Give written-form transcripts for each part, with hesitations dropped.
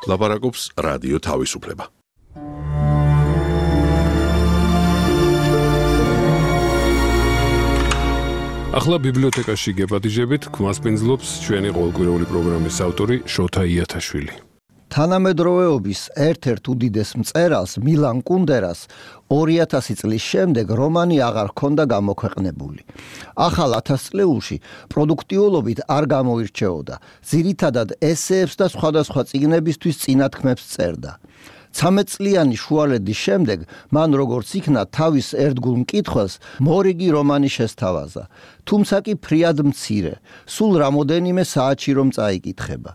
ლაპარაკობს რადიო თავისუფლება. ახლა ბიბლიოთეკაში გეპატიჟებით გვასპინძლობს ჩვენი ყოველკვირეული პროგრამის ავტორი შოთა იათაშვილი. თანამედროვეობის ერთ-ერთ უდიდეს მწერალს მილან კუნდერას 2000 წლის შემდეგ რომანი აღარ ჰქონდა გამოქვეყნებული. ახალ 1000 წლეულში პროდუქტიულობით არ გამოირჩეოდა. ძირითადად ესეებს და სხვადასხვა წიგნებისთვის წინათქმებს წერდა. 13 წლიანი შუალედის შემდეგ მან როგორც იქნა თავის ერთგულ მკითხველს მორიგი რომანი შესთავაზა. თუმცა კი ფრიად მცირე, სულ რამოდენიმე საათში რომ წაიკითხება.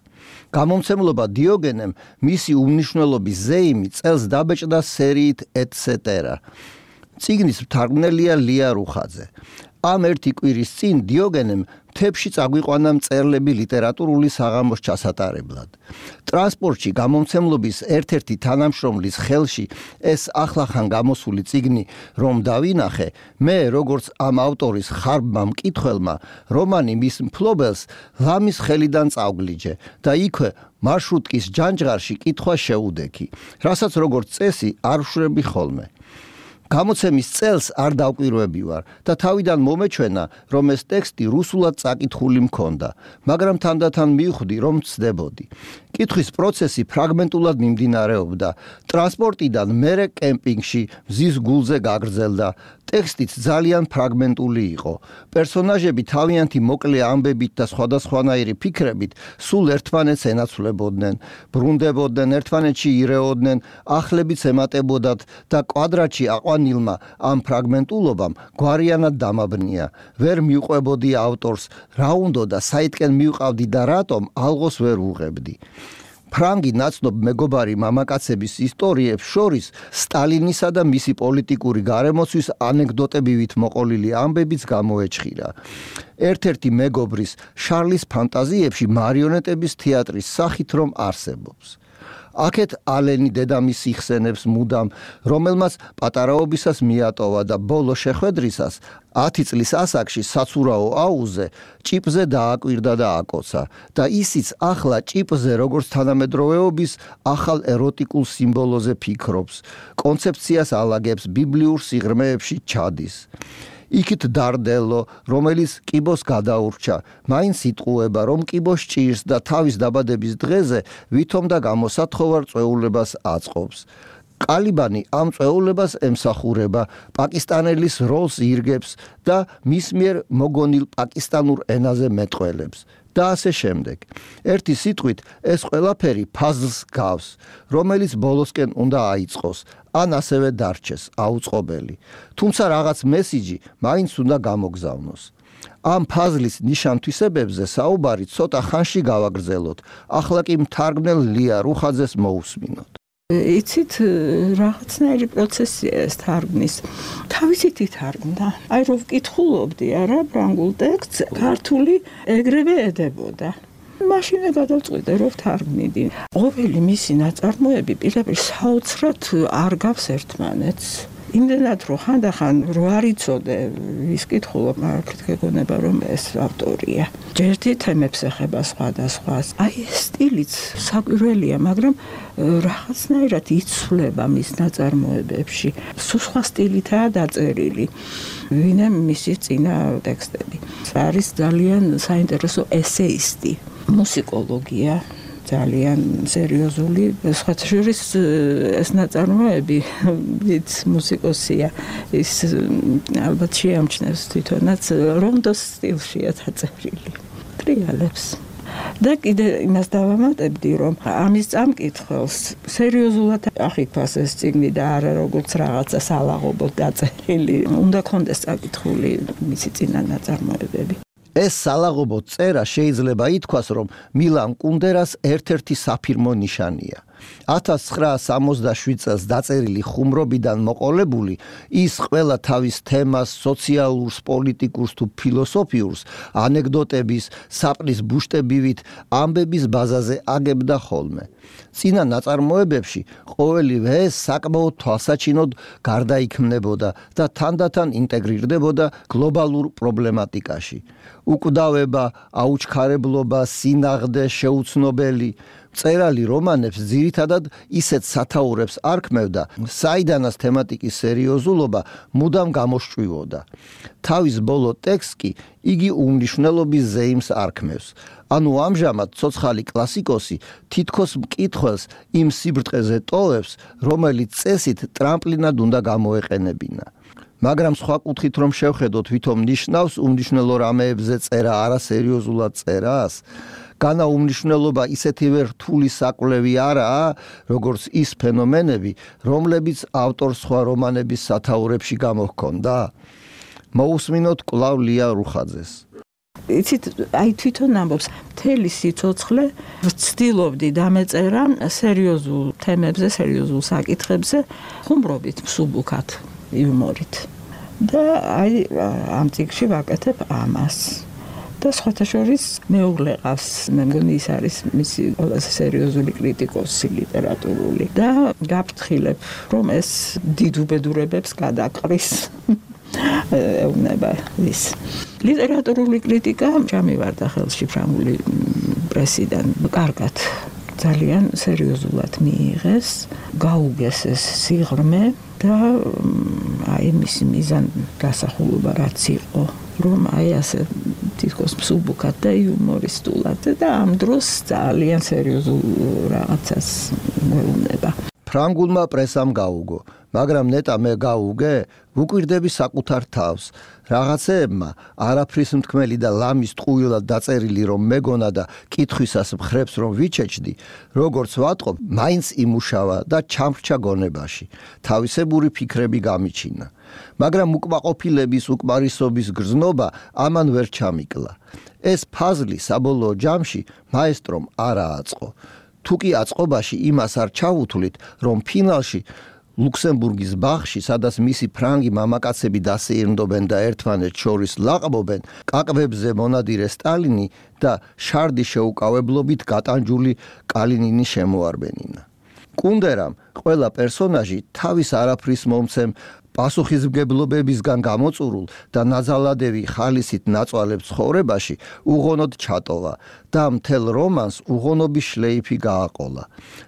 გამომცემლობა დიოგენემ მისი უმნიშვნელობის ზეიმი წელს დაბეჭდა სერიით etc. წიგნის მთარგმნელია ლია რუხაძე. ამ ერთი კვირის წინ დიოგენემ მთებში წაგვიყვანა მწერლები ლიტერატურული საღამოს ჩასატარებლად. ტრანსპორტში გამომცემლობის ერთ-ერთი თანამშრომლის ხელში ეს ახლახან გამოსული წიგნი რომ დავინახე, მე როგორც ამ ავტორის ხარბმა მკითხველმა რომანი მის მფლობელს ლამის ხელიდან წავგლიჯე და იქვე მარშრუტკის ჯანჯღარში კითხვა შეუდექი, რასაც როგორც წესი არ ვშვრები ხოლმე. გამოცემის წელს არ დავკვირვები ვარ და თავიდან მომეჩვენა, რომ ეს ტექსტი რუსულად წაკითხული მქონდა, მაგრამ თანდათან მივხვდი, რომ ცდებოდი. კითხვის პროცესი ფრაგმენტულად მიმდინარეობდა. ტრანსპორტიდან მერე კემპინგში მზის გულზე გაგრძელდა. ტექსტიც ძალიან ფრაგმენტული იყო. პერსონაჟები თავიანთი მოკლე ამბებით და სხვადასხვანაირი ფიქრებით სულ ერთმანეთს ენაცვლებოდნენ, ბრუნდებოდნენ, ერთმანეთში ირეოდნენ, ახლებიც ემატებოდათ და კვადრატში აყვანილმა ამ ფრაგმენტულობამ გვარიანად დამაბნია. ვერ მიუყვებოდი ავტორს, რა უნდოდა, საითკენ მივყავდი და რატომ ალღოს ვერ უღებდი. ფრანგი ნაცნობ მეგობარი მამაკაცების ისტორიებს შორის სტალინისა და მისი პოლიტიკური გარემოცვის ანეკდოტებივით მოყოლილი ამბებიც გამოეჩხირა. ერთ-ერთი მეგობრის შარლის ფანტაზიებში მარიონეტების თეატრის სახით რომ არსებობს. აქეთ ალენი დედამისი იხსენებს მუდამ, რომელმაც პატარაობისას მიატოვა და ბოლო შეხვედრისას 10 წლის ასაკში საცურაო აუზე ჭიპზე დააკვირდა და აკოცა და ისიც ახლა ჭიპზე როგორც თანამედროვეობის ახალ ეროტიკულ სიმბოლოზე ფიქრობს, კონცეფციას ალაგებს, ბიბლიურ სიღრმეებში ჩადის. იქით დარდელო, რომელიც კიბოს გადაურჩა, მაინც იტყუება, რომ კიბოს ჭირს და თავის დაბადების დღეზე ვითომ და გამოსათხოვარ წვეულებას აწყობს. ყალიბანი ამ წვეულებას ემსახურება, პაკისტანელის როლს ირგებს და მის მიერ მოგონილ პაკისტანურ ენაზე მეტყველებს. და ასე შემდეგ. ერთი სიტყვით ეს ყველაფერი ფაზლს გავს, რომელიც ბოლოსკენ უნდა აიწყოს, ან ასევე დარჩეს აუწყობელი. თუმცა რაღაც მესიჯი მაინც უნდა გამოგზავნოს. ამ ფაზლის ნიშან-თვისებებზე საუბარი ცოტა ხანში გავაგრძელოთ. ახლა კი მთარგმნელ ლია რუხაძეს მოусმინოთ. იცით, რაღაცნაირი პროცესია ეს თარგმნის. თავისით ითარგმნა. აი რომ ვკითხულობდი არა ფრანგულ ტექსტს, ქართული ეგრევე ედებოდა. მაშინვე გადავწყვიტე რომ ვთარგმნიდი. ყოველი მისი ნაწარმოები პირდაპირ საოცრად არ გავს ერთმანეთს. იმდენად რომ ხანდახან რო არ იცოდე ვის კითხულობ, მაგრამ გეგონება რომ ეს ავტორია. ჯერჯერობით თემებს ეხება სხვადასხვას. აი ეს სტილიც საკვირველია, მაგრამ რაღაცნაირად იცვლება მის ნაწარმოებებში. სხვა სტილითაა დაწერილი. ვინმე მისი წინა ტექსტები. არის ძალიან საინტერესო ესეისტი, მუსიკოლოგია. ძალიან სერიოზული, სხვათა შორის ეს ნაწარმოები ვიც მუსიკოსია, ის ალბათ შეამჩნევს თვითონაც რონდოს სტილშია დაწერილი. ტრიალებს. და კიდე იმას დავამატებდი, რომ ამის წამკითხველს სერიოზულად აღიქვას ეს წიგნი და არა როგორც რაღაცა სალაღობოდ დაწერილი. უნდა კონდეს წაკითხული მისი წინა ნაწარმოებები. ეს სალაღობო წერა შეიძლება ითქვას, რომ მილან კუნდერას ერთ-ერთი საფირმო ნიშანია. 1967 წელს დაწერილი ხუმრობიდან მოყოლებული, ის ყველა თავის თემას, სოციალურს, პოლიტიკურს თუ ფილოსოფიურს, ანეკდოტების, საპნის ბუშტებივით ამბების ბაზაზე აგებდა ხოლმე. წინა ნაწარმოებებში ყოველივე ეს საკმაოდ თვალსაჩინოდ გარდაიქმნებოდა და თანდათან ინტეგრირდებოდა გლობალურ პრობლემატიკაში. უკვდავება, აუჩქარებლობა, სინაღდე, შეუცნობელი, მწერალი რომანებს ძირითადად ისეთ სათაურებს არქმევდა, საიდანაც თემატიკის სერიოზულობა მუდამ გამოშჭვივოდა. თავის ბოლო ტექსტს კი იგი უმნიშვნელობის ზეიმს არქმევს. ანუ ამჟამად ცოცხალი კლასიკოსი თითქოს მკითხველს იმ სიბრტყეზე ტოვებს, რომელიც წესით ტრამპლინად უნდა გამოეყენებინა. მაგრამ სხვა კუთხით რომ შევხედოთ, ვითომ ნიშნავს უმნიშვნელო რამეებზე წერა არასერიოზულად წერას, განა უმნიშვნელობა ისეთივე რთული საკვლევი არაა, როგორც ის ფენომენები, რომლებიც ავტორს სხვა რომანების სათაურებში გამოჰქონდა. მოусმინოთ კვლავ ლია რუხაძეს. იცით, აი თვითონ ამბობს, მთელი სიცოცხლე ვცდილობდი დამეწერა სერიოზულ თემებზე, სერიოზულ საკითხებზე, ხუმრობით, მსუბუქად, იუმორით. და აი ამ წიგნში ვაკეთებ ამას. და სხვათა შორის მეუღლე ყავს, მე მგონი ის არის მისი ყველაზე სერიოზული კრიტიკოსი ლიტერატურული და გაფრთხილებ, რომ ეს დიდ უბედურებებს გადაყრის. ეუბნება ის. ლიტერატურული კრიტიკა ჩამივარდა ხელში ფრანგული პრესიდან. კარგად, ძალიან სერიოზულად მიიღეს, გაუგეს ეს სიღრმე და აი მისი მიზან გასახულობა რაც იყო, რომ აი ასე თითქოს მსუბუქად და იუმორისტულად და ამ დროს ძალიან სერიოზულ რაღაცას მეუბნება. ფრანგულმა პრესამ გაუგო, მაგრამ ნეტა მე გაუგე, ვუკვირდები საკუთარ თავს. რაღაცეებმა არაფრის მთქმელი და ლამის ტყუილად დაწერილი რომ მეგონა და კითხვისას მხრებს რომ ვიჩეჩდი, როგორც ვატყობ, მაინც იმუშავა და ჩამრჩა გონებაში. თავისებური ფიქრები გამიჩინა. მაგრამ უკმაყოფილების, უკმარისობის გრძნობა ამან ვერ ჩამიკლა. ეს ფაზლი საბოლოო ჯამში მაესტრომ არ ააწყო. თუკი აწყობაში იმას არ ჩავუთვლით, რომ ფინალში ლუქსემბურგის ბაღში, სადაც მისი ფრანგი მამაკაცები დასეირნდობენ და ერთმანეთს შორის ლაყბობენ, კაკბებზე მონადირე სტალინი და შარდის შეუკავებლობით გატანჯული კალინინი შემოარბენინა. კუნდერამ ყველა პერსონაჟი თავის არაფრის მომცემ პასუხისმგებლობებისგან გამოწურულ და ნაძალადევი ხალისით ნაწვალებ ცხოვრებაში უღონოდ ჩატოვა და მთელ რომანს უღონობის შლეიფი გააყოლა.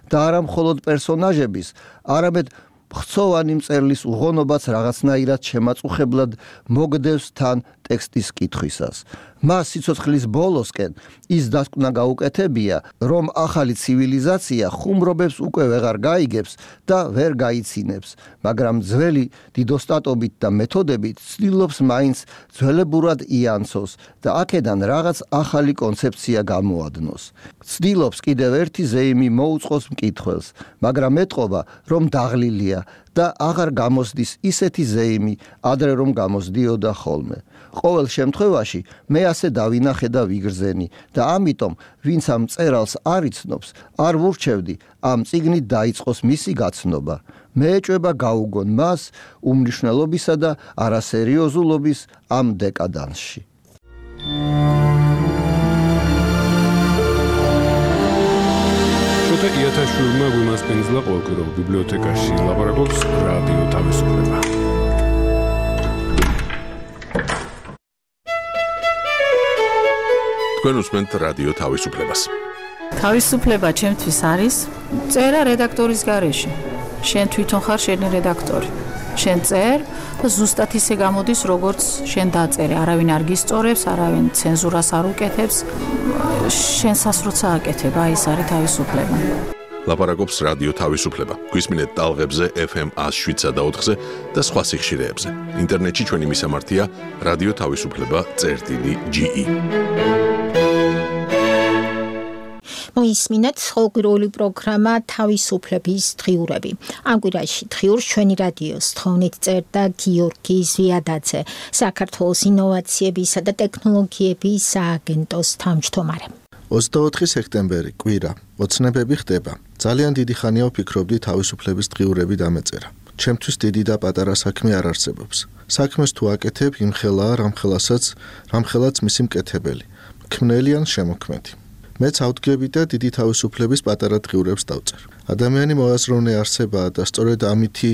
და არა მხოლოდ პერსონაჟების, არამედ ხრცოვანი მწერლის უღონობაც რაღაცნაირად შემაწუხებლად მოგდევს თან ტექსტის კითხვისას. მას სიცოცხლის ბოლოსკენ ის დასკვნა გაუკეთებია, რომ ახალი ცივილიზაცია ხუმრობებს უკვე ვეღარ გაიგებს და ვერ გაიცინებს, მაგრამ ძველი დიდოსტატობით და მეთოდებით ცდილობს მაინც ძველებურად იანცოს და აქედან რაღაც ახალი კონცეფცია გამოადნოს. ცდილობს კიდევ ერთი ზეიმი მოუწყოს მკითხველს, მაგრამ ეტყობა, რომ დაღლილია და აღარ გამოსდის ისეთი ზეიმი, ადრე რომ გამოსდიოდა ხოლმე. ყოველ შემთხვევაში მე ასე დავინახე და ვიგრძენი და ამიტომ ვინც ამ მწერალს არ იცნობს, არ ვურჩევდი ამ წიგნით დაიწყოს მისი გაცნობა. მე ეჭვება გაუგონ მას უმნიშვნელობისა და არასერიოზულობის ამ დეკადანსში. შოთა იათაშვილმა გვიმასპინძლა ყოველკვირეულ ბიბლიოთეკაში ლაპარაკობს რადიო თავისუფლება. თქვენ უსმენთ რადიო თავისუფლებას. თავისუფლება ჩემთვის არის წერა რედაქტორის გარეშე. შენ თვითონ ხარ შენი რედაქტორი. შენ წერ და ზუსტად ისე გამოდის, როგორც შენ დაწერე. არავინ არ გისწორებს, არავინ ცენზურას არ უკეთებს. შენსას როცა აკეთება, ის არის თავისუფლება. ლაპარაკობს რადიო თავისუფლება. გვისმინეთ ტალღებზე FM 107.4-ზე და სხვა სიხშირეებზე. ინტერნეტში ჩვენი მისამართია რადიო თავისუფლება.ge. მოისმინეთ ყოველკვირეული პროგრამა თავისუფლების დღიურები. ამ კვირაში დღიურს ჩვენი რადიოს თხოვნით წერდა გიორგი ზვიადაძე, საქართველოს ინოვაციებისა და ტექნოლოგიების სააგენტოს თავმჯდომარე. 24 სექტემბერი კვირა, ოცნებები ხდება. ძალიან დიდი ხანია ვფიქრობდი თავისუფლების დღიურები დამეწერა. ჩემთვის დიდი და პატარა საქმე არ არსებობს. საქმეს თუ აკეთებ, იმხელაა რამხელაც მისი მკეთებელი, ქმნელი ან შემოქმედი. მეც ავდგები და დიდი თავისუფლების პატარა დღიურებს დავწერ. ადამიანი მოაზროვნე არსებაა და სწორედ ამითი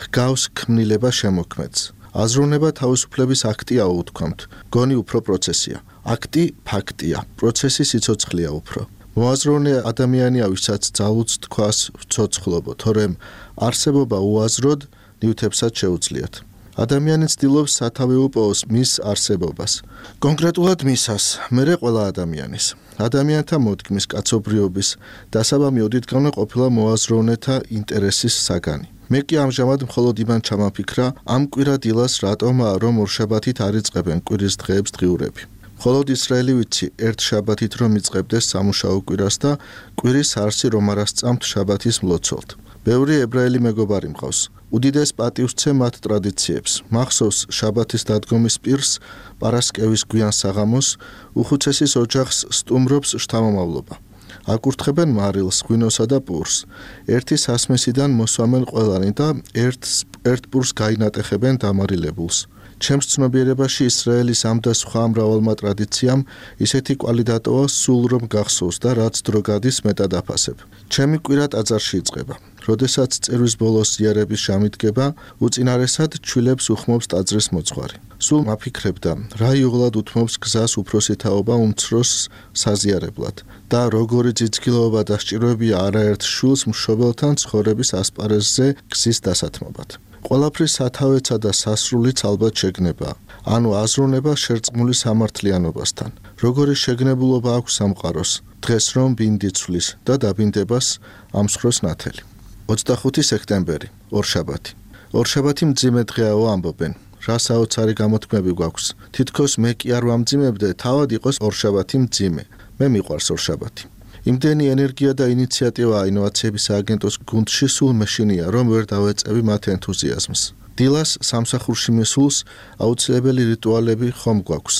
ჰგავს ქმნილება შემოქმედს. აზროვნება თავისუფლების აქტია უთქვამთ, გონი უფრო პროცესია. აქტი ფაქტია, პროცესი სიცოცხლეა უფრო. მოაზროვნე ადამიანია, ვისაც ძალუც თქვას ვცოცხლობო, თორემ არსებობა უაზროდ ნივთებსაც შეუძლიათ. ადამიანი ცდილობს სათავე უპოვოს მის არსებობას. კონკრეტულად მისას, მერე ყველა ადამიანის. ადამიანთა მოდგმის კაცობრიობის დასაბამი ოდითგანვე ყოფილა მოაზროვნეთა ინტერესის საგანი. მე კი ამჟამად მხოლოდ იმან ჩამაფიქრა, ამ კვირა დილას რატომაა, რომ ორშაბათით არ იწყებენ კვირის დღეებს დღიურები. მხოლოდ ისრაელი ვიცი, ერთ შაბათით რომ იწყებდეს სამუშაო კვირას და კვირის არსი რომ არ ასწამთ შაბათის მლოცველთ. ბევრი ებრაელი მეგობარი მყავს. უდიდეს პატივს ვცემ მათ ტრადიციებს. მახსოვს შაბათის დადგომის პირს, პარასკევის გვიან საღამოს, უხუცესის ოჯახს სტუმრობს შთამომავლობა. აკურთხებენ მარილს, ღვინოსა და პურს. ერთი სასმესიდან მოსვამენ ყველანი და ერთ პურს გაინატეხებენ დამარილებულს. ჩემს ცნობიერებაში ისრაელის ამ და სხვა მრავალმა ტრადიციამ ისეთი კვალი დატოვა, სულ რომ გახსოვს და რაც დრო გადის მეტად აფასებ. ჩემი კვირა ტაძარში იწყება. როდესაც წერვის ბოლოს ზიარების ჟამი დგება, უწინარესად ჩვილებს უხმობს ტაძრის მოძღვარი. სულ მაფიქრებდა, რა იოლად უთმობს გზას უფროსი თაობა უმცროს საზიარებლად და როგორი ძიძგილოობა და სჭიროებია არაერთ შვილს მშობელთან ცხოვრების ასპარეზზე გზის დასათმობად. ყველაფრის სათავეცა და სასრულიც ალბათ შეგნება, ანუ აზროვნება შერწყმული სამართლიანობასთან. როგორი შეგნებულობა აქვს სამყაროს, დღეს რომ ბინდი ცვლის და დაბინდებას ამსხროს ნათელი. 25 სექტემბერი, ორშაბათი. ორშაბათი მძიმე დღეაო ამბობენ. რა საოცარი გამოთქმები გვაქვს. თითქოს მე კი არ ვამძიმებდე, თავად იყოს ორშაბათი მძიმე. მე მიყვარს ორშაბათი. იმდენი ენერგია და ინიციატივა ინოვაციების სააგენტოს გუნდში სულ მეშინია, რომ ვერ დავეწევი მათ ენთუზიაზმს. დილას სამსახურში მისულს აუცილებელი რიტუალები ხომ გვაქვს.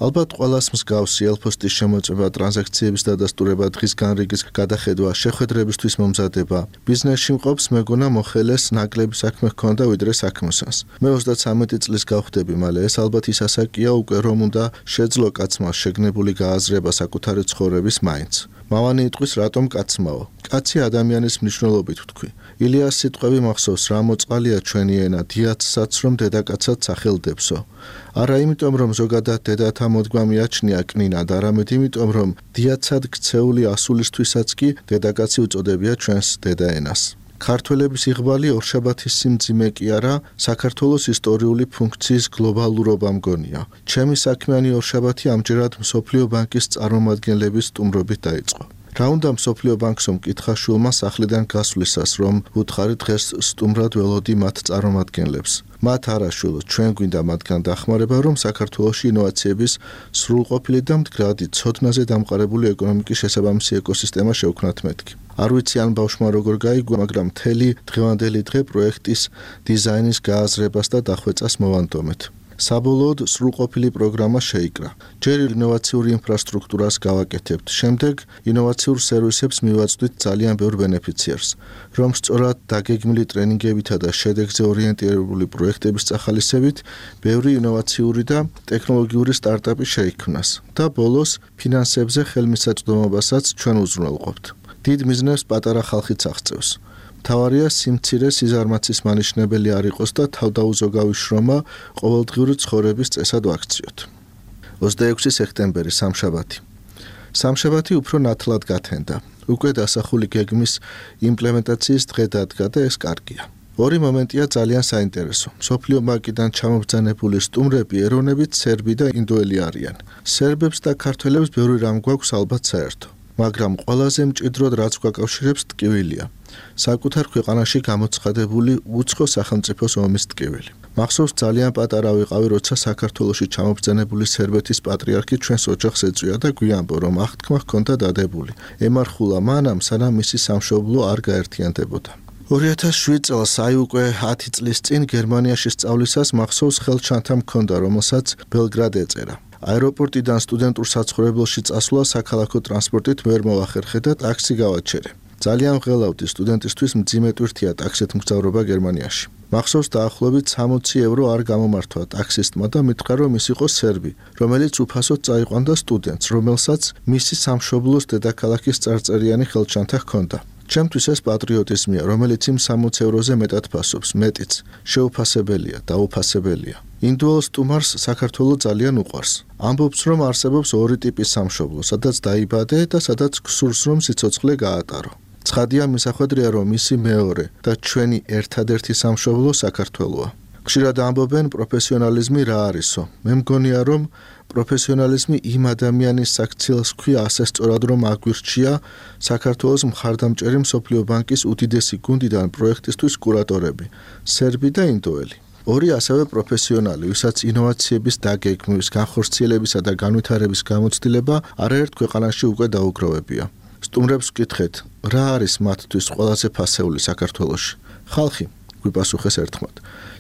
ალბათ ყველას მსგავსი ელფოსტის შემოწმება, ტრანზაქციების დადასტურება, დღის განრიგის გადახედვა, შეხვედრებისთვის მომზადება. ბიზნესში მყოფს მეგონა მოხელეს ნაკლები საქმე ჰქონდა ვიდრე საქმოსანს. მე 33 წლის გავხდები, მალე ეს ალბათ ის ასაკია უკვე რომ უნდა შეძლო კაცმა შეგნებული გააზრება საკუთარი ცხოვრების მაინც. მავანი იტყვის რატომ კაცმაო? კაცი ადამიანის მნიშვნელობით ვთქვი. ილიას სიტყვები მახსოვს, რა მოწყალია ჩვენი ენა, დიაცსაც რომ დედაკაცად სახელდებსო. არა იმიტომ რომ ზოგადად დედათა მოდგმა მიაჩნია კნინად, არამედ იმიტომ რომ დიაცად ქცეული ასულისთვისაც კი დედაკაცი უწოდებია ჩვენს დედაენას. ქართველების იღბალი ორშაბათის სიმძიმე კი არა, საქართველოს ისტორიული ფუნქციის გლობალურობა მგონია. ჩემი საქმიანი ორშაბათი ამჯერად მსოფლიო ბანკის წარმომადგენლების სტუმრობით დაიწყო. რა უნდა მსოფლიო ბანკს მკითხა შულმა სახლიდან გასვლისას, რომ უთხარი დღეს სტუმრად ველოდი მათ წარმომადგენლებს. მათ არა შულო, ჩვენ გვინდა მათგან დახმარება, რომ საქართველოში ინოვაციების სრულყოფილი და მდგრადი ცოდნაზე დამყარებული ეკონომიკის შესაბამისი ეკოსისტემა შევქმნათ მეთქი. არ ვიცი ან ბავშვმა როგორ გაიგო, მაგრამ მთელი დღევანდელი დღე პროექტის დიზაინის გააზრებას და დახვეწას მოვანდომეთ. საბოლოოდ სრულყოფილი პროგრამა შეიკრა. ჯერ ინოვაციური ინფრასტრუქტურას გავაკეთებთ, შემდეგ ინოვაციურ სერვისებს მივაწვდით ძალიან ბევრ ბენეფიციერს, რომ სწორად დაგეგმილი ტრენინგებითა და შედეგზე ორიენტირებული პროექტების წახალისებით ბევრი ინოვაციური და ტექნოლოგიური სტარტაპი შეიქმნას და ბოლოს ფინანსებზე ხელმისაწვდომობასაც ჩვენ უზრუნველყოფთ. დიდ მიზნებს პატარა ხალხიც აღწევს. მთავარია სიმცირე სიზარმაცის მანიშნებელი არ იყოს და თავდაუზოგავი შრომა ყოველდღიური ცხოვრების წესად ვაქციოთ. 26 სექტემბერი, სამშაბათი. სამშაბათი უფრო ნათლად გათენდა. უკვე დასახული გეგმის იმპლემენტაციის დღე დადგა და ეს კარგია. ორი მომენტია ძალიან საინტერესო. მსოფლიო ბანკიდან ჩამობრძანებული სტუმრები ეროვნებით სერბი და ინდოელი არიან. სერბებს და ქართველებს ბევრი რამ გვაქვს ალბათ საერთო. მაგრამ ყველაზე მჭიდროდ რაც გვაკავშირებს ტკივილია. საკუთარ ქვეყანაში გამოცხადებული უცხო სახელმწიფოს ომის ტკივილი. მახსოვს ძალიან პატარა ვიყავი, როცა საქართველოში ჩამობრძანებული სერბეთის პატრიარქი ჩვენს ოჯახს ეწვია და გვიამბო, რომ აღთქმა ჰქონდა დადებული. ემარხულა მანამ, სანამ მისი სამშობლო არ გაერთიანდებოდა. 2007 წელს, აი უკვე 10 წლის წინ გერმანიაში სწავლისას მახსოვს ხელჩანთა მქონდა, რომელსაც ბელგრად ეწერა. აეროპორტიდან სტუდენტურ საცხოვრებელში წასვლა საქალაქო ტრანსპორტით ვერ მოახერხე და ტაქსი გავაჩერე. ძალიან ვღელავდი სტუდენტისთვის მძიმე ტვირთია ტაქსით მგზავრობა გერმანიაში. მახსოვს დაახლოებით 60 ევრო არ გამომართვა ტაქსისტმა და მითხრა, რომ ის იყო სერბი, რომელიც უფასოდ წაიყვანდა სტუდენტს, რომელსაც მისი სამშობლოს დედაქალაქის წარწერიანი ხელჩანთა ჰქონდა. ჩემთვის ეს პატრიოტიზმია, რომელიც იმ 60 ევროზე მეტად ფასობს, მეტიც, შეუფასებელია, დაუფასებელია. ინდუელ სტუმარს საქართველო ძალიან უყვარს. ამბობს, რომ არსებობს ორი ტიპის სამშობლო, სადაც დაიბადე და სადაც გსურს რომ სიცოცხლე გაატარო. ცხადია მისახვედრია, რომ მისი მეორე და ჩვენი ერთადერთი სამშობლო საქართველოა. ხშირად ამბობენ პროფესიონალიზმი რა არისო. მე მგონია, რომ პროფესიონალიზმი იმ ადამიანის საქციელს ქვია ასე სწორად, რომ აგვირჩია საქართველოს მხარდამჭერი მსოფლიო ბანკის უდიდესი გუნდიდან პროექტისთვის კურატორები, სერბი და ინდოელი. ორი ასევე პროფესიონალი, ვისაც ინოვაციების დაგეგმვის, განხორციელებისა და განვითარების გამოცდილება არაერთ ქვეყანაში უკვე დაუგროვებია. სტუმრებს ვკითხეთ, რა არის მათთვის ყველაზე ფასეული საქართველოში? ხალხი გვიპასუხეს ერთხმად.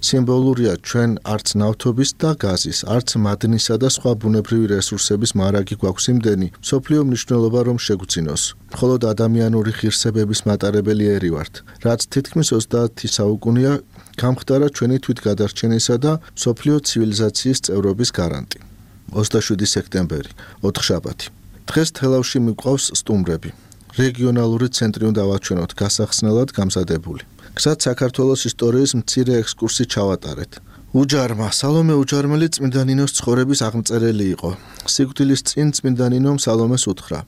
სიმბოლურია ჩვენ არც ნავთობის და გაზის, არც მადნისა და სხვა ბუნებრივი რესურსების მარაგი გვაქვს იმდენი, მსოფლიო მნიშვნელობა რომ შეგვძინოს. მხოლოდ ადამიანური ღირსებების მატარებელი ერი ვართ, რაც თითქმის 30 საუკუნეა გამხდარა ჩვენი თვითგადარჩენისა და მსოფლიო ცივილიზაციის წევრობის გარანტი. 27 სექტემბერი, ოთხშაბათი. დღეს თელავში მიყვავს სტუმრები. რეგიონალური ცენტრი უნდა ვაჩვენოთ გასახსნელად გამზადებული. გზად საქართველოს ისტორიის მცირე ექსკურსი ჩავატარეთ. უჯარმა, სალომე უჯარმელი წმინდა ნინოს ცხოვრების აღმწერელი იყო. სიკვდილის წინ წმინდა ნინომ სალომეს უთხრა: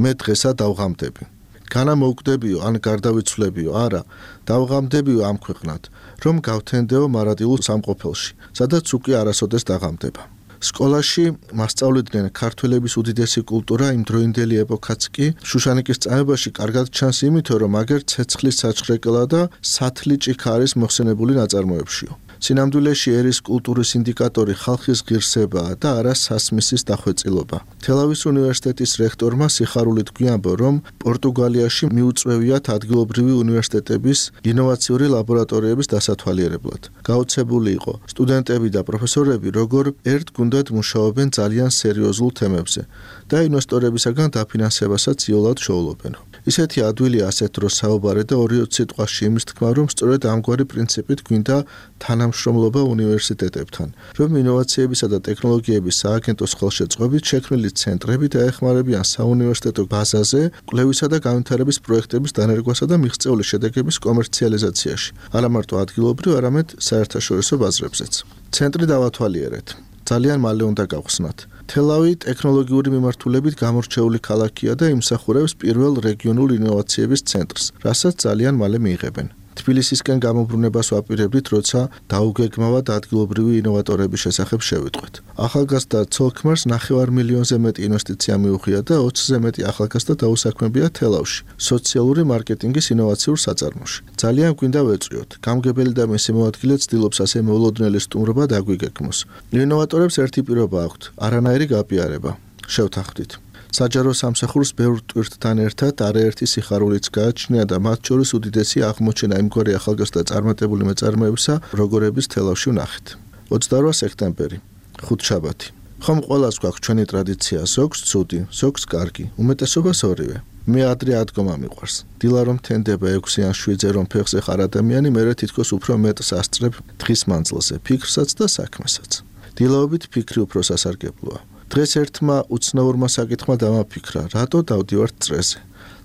მე დღესა დავღამდები. განა მოვკვდებიო ან გარდავიცვლებიო, არა, დავღამდებიო ამ ქვეყნად, რომ გავთენდეო მარადილულ სამყოფელში, სადაც უკვე არასოდეს დაღამდება. სკოლაში მასწავლიდნენ ქართველების უდიდესი კულტურა იმ დროინდელი ეპოქაც კი შუშანიკის წამებაში კარგად ჩანს იმითო, რომ აგერ ცეცხლის საჩხრეკელა და სათლი ჭიქა არის მოხსენებული ნაწარმოებშიო. სინამდვილეში ერის კულტურის ინდიკატორი ხალხის ღირსებაა და არა სასმისის დახვეწილობა. თელავის უნივერსიტეტის რექტორმა სიხარულით გვიამბო, რომ პორტუგალიაში მიუწვევიათ ადგილობრივი უნივერსიტეტების ინოვაციური ლაბორატორიების დასათვალიერებლად. გაოცებული იყო სტუდენტები და პროფესორები, როგორ ერთ გუნდად მუშაობენ ძალიან სერიოზულ თემებზე და ინვესტორებისაგან დაფინანსებასაც იოლად შოულობენ. ისეთი ადვილია ასეთ დროს საუბარი და 2 სიტყვაში იმის თქმა, რომ სწორედ ამგვარი პრინციპით გვინდა თანამშრომლობა უნივერსიტეტებთან, რომ ინოვაციებისა და ტექნოლოგიების სააგენტოს ხელშეწყობით შექმნილი ცენტრები დაეხმარებიან საუნივერსიტეტო ბაზაზე კვლევისა და განვითარების პროექტების დანერგვასა და მიღწეული შედეგების კომერციალიზაციაში, არა მარტო ადგილობრივ, არამედ საერთაშორისო ბაზრებზეც. ცენტრი დავათვალიერეთ. ძალიან მალე უნდა გავხსნათ. თელავი ტექნოლოგიური მიმართულებით გამორჩეული ქალაქია და იმსახურებს პირველ რეგიონულ ინოვაციების ცენტრს, რასაც ძალიან მალე მიიღებენ. თბილისისკენ გამობრუნებას ვაპირებდით, როცა დაუგეგმავად ადგილობრივი ინოვატორების შესახებ შევიტყვეთ. ახალგაზრდა ცოლ-ქმარს 9 მილიონზე მეტი ინვესტიცია მიუღია და 20-ზე მეტი ახალგაზრდა დაუსაქმებია თელავში, სოციალური მარკეტინგის ინოვაციურ საწარმოში. ძალიან გვინდა ვეწვიოთ. გამგებელი და მისი მოადგილე ცდილობს ასე მოულოდნელი სტუმრობა დაგვიგეგმოს. ინოვატორებს ერთი პირობა აქვთ, არანაირი გაპიარება. შევთანხმდით. საჯარო სამსახურს ბევრ ტვირთთან ერთად არაერთი სიხარულიც გააჩნია და მათ შორის უდიდესი აღმოჩენა იმგვარი ახალგაზრდა წარმატებული მეწარმეებისა, როგორების თელავში ვნახეთ. 28 სექტემბერი, ხუთშაბათი. ხომ ყველას გვაქვს ჩვენი ტრადიცია, ზოგს ცუდი, ზოგს კარგი, უმეტესობას ორივე. მე ადრე ადგომა მიყვარს. დილა რომ თენდება 6 ან 7-ზე რომ ფეხზე ხარ ადამიანი, მერე თითქოს უფრო მეტს ასწრებ დღის მანძილზე, ფიქრსაც და საქმესაც. დილაობით ფიქრი უფრო სასარგებლოა. დღეს ერთმა უცნაურმა საკითხმა დამაფიქრა, რატო დავდივართ წრეზე.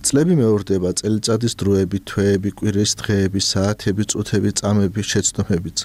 წლები მეორდება, წელიწადის დროები, თვეები, კვირის დღეები, საათები, წუთები, წამები, შეცდომებიც.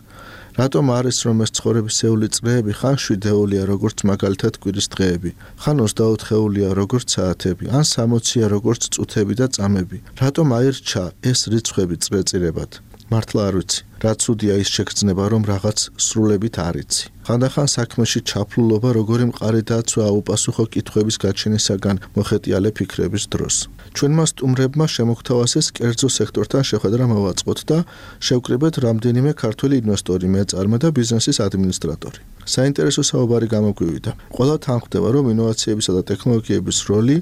რატომ არის რომ ეს ცხოვრებისეული წრეები ხან 7-ეულია, როგორც მაგალითად კვირის დღეები, ხან 24-ეულია, როგორც საათები, ან 60-ია, როგორც წუთები და წამები. რატომ აირჩა ეს რიცხვები წრეწირებად? მართლა არ ვიცი. რა ცუდია ის შეგრძნება, რომ რაღაც სრულებით არ იცი. ხანდახან საქმეში ჩაფლულობა როგორი მყარი დაცვა აუპასუხო კითხვების გაჩენისაგან მოხეტიალე ფიქრების დროს. ჩვენმა სტუმრებმა შემოგთავაზეს კერძო სექტორთან შეხვედრა მოვაწყოთ და შევკრიბეთ რამდენიმე ქართველი ინვესტორი, მეწარმე და ბიზნესის ადმინისტრატორი. საინტერესო საუბარი გამოგვივიდა. ყველა თანხმდება, რომ ინოვაციებისა და ტექნოლოგიების როლი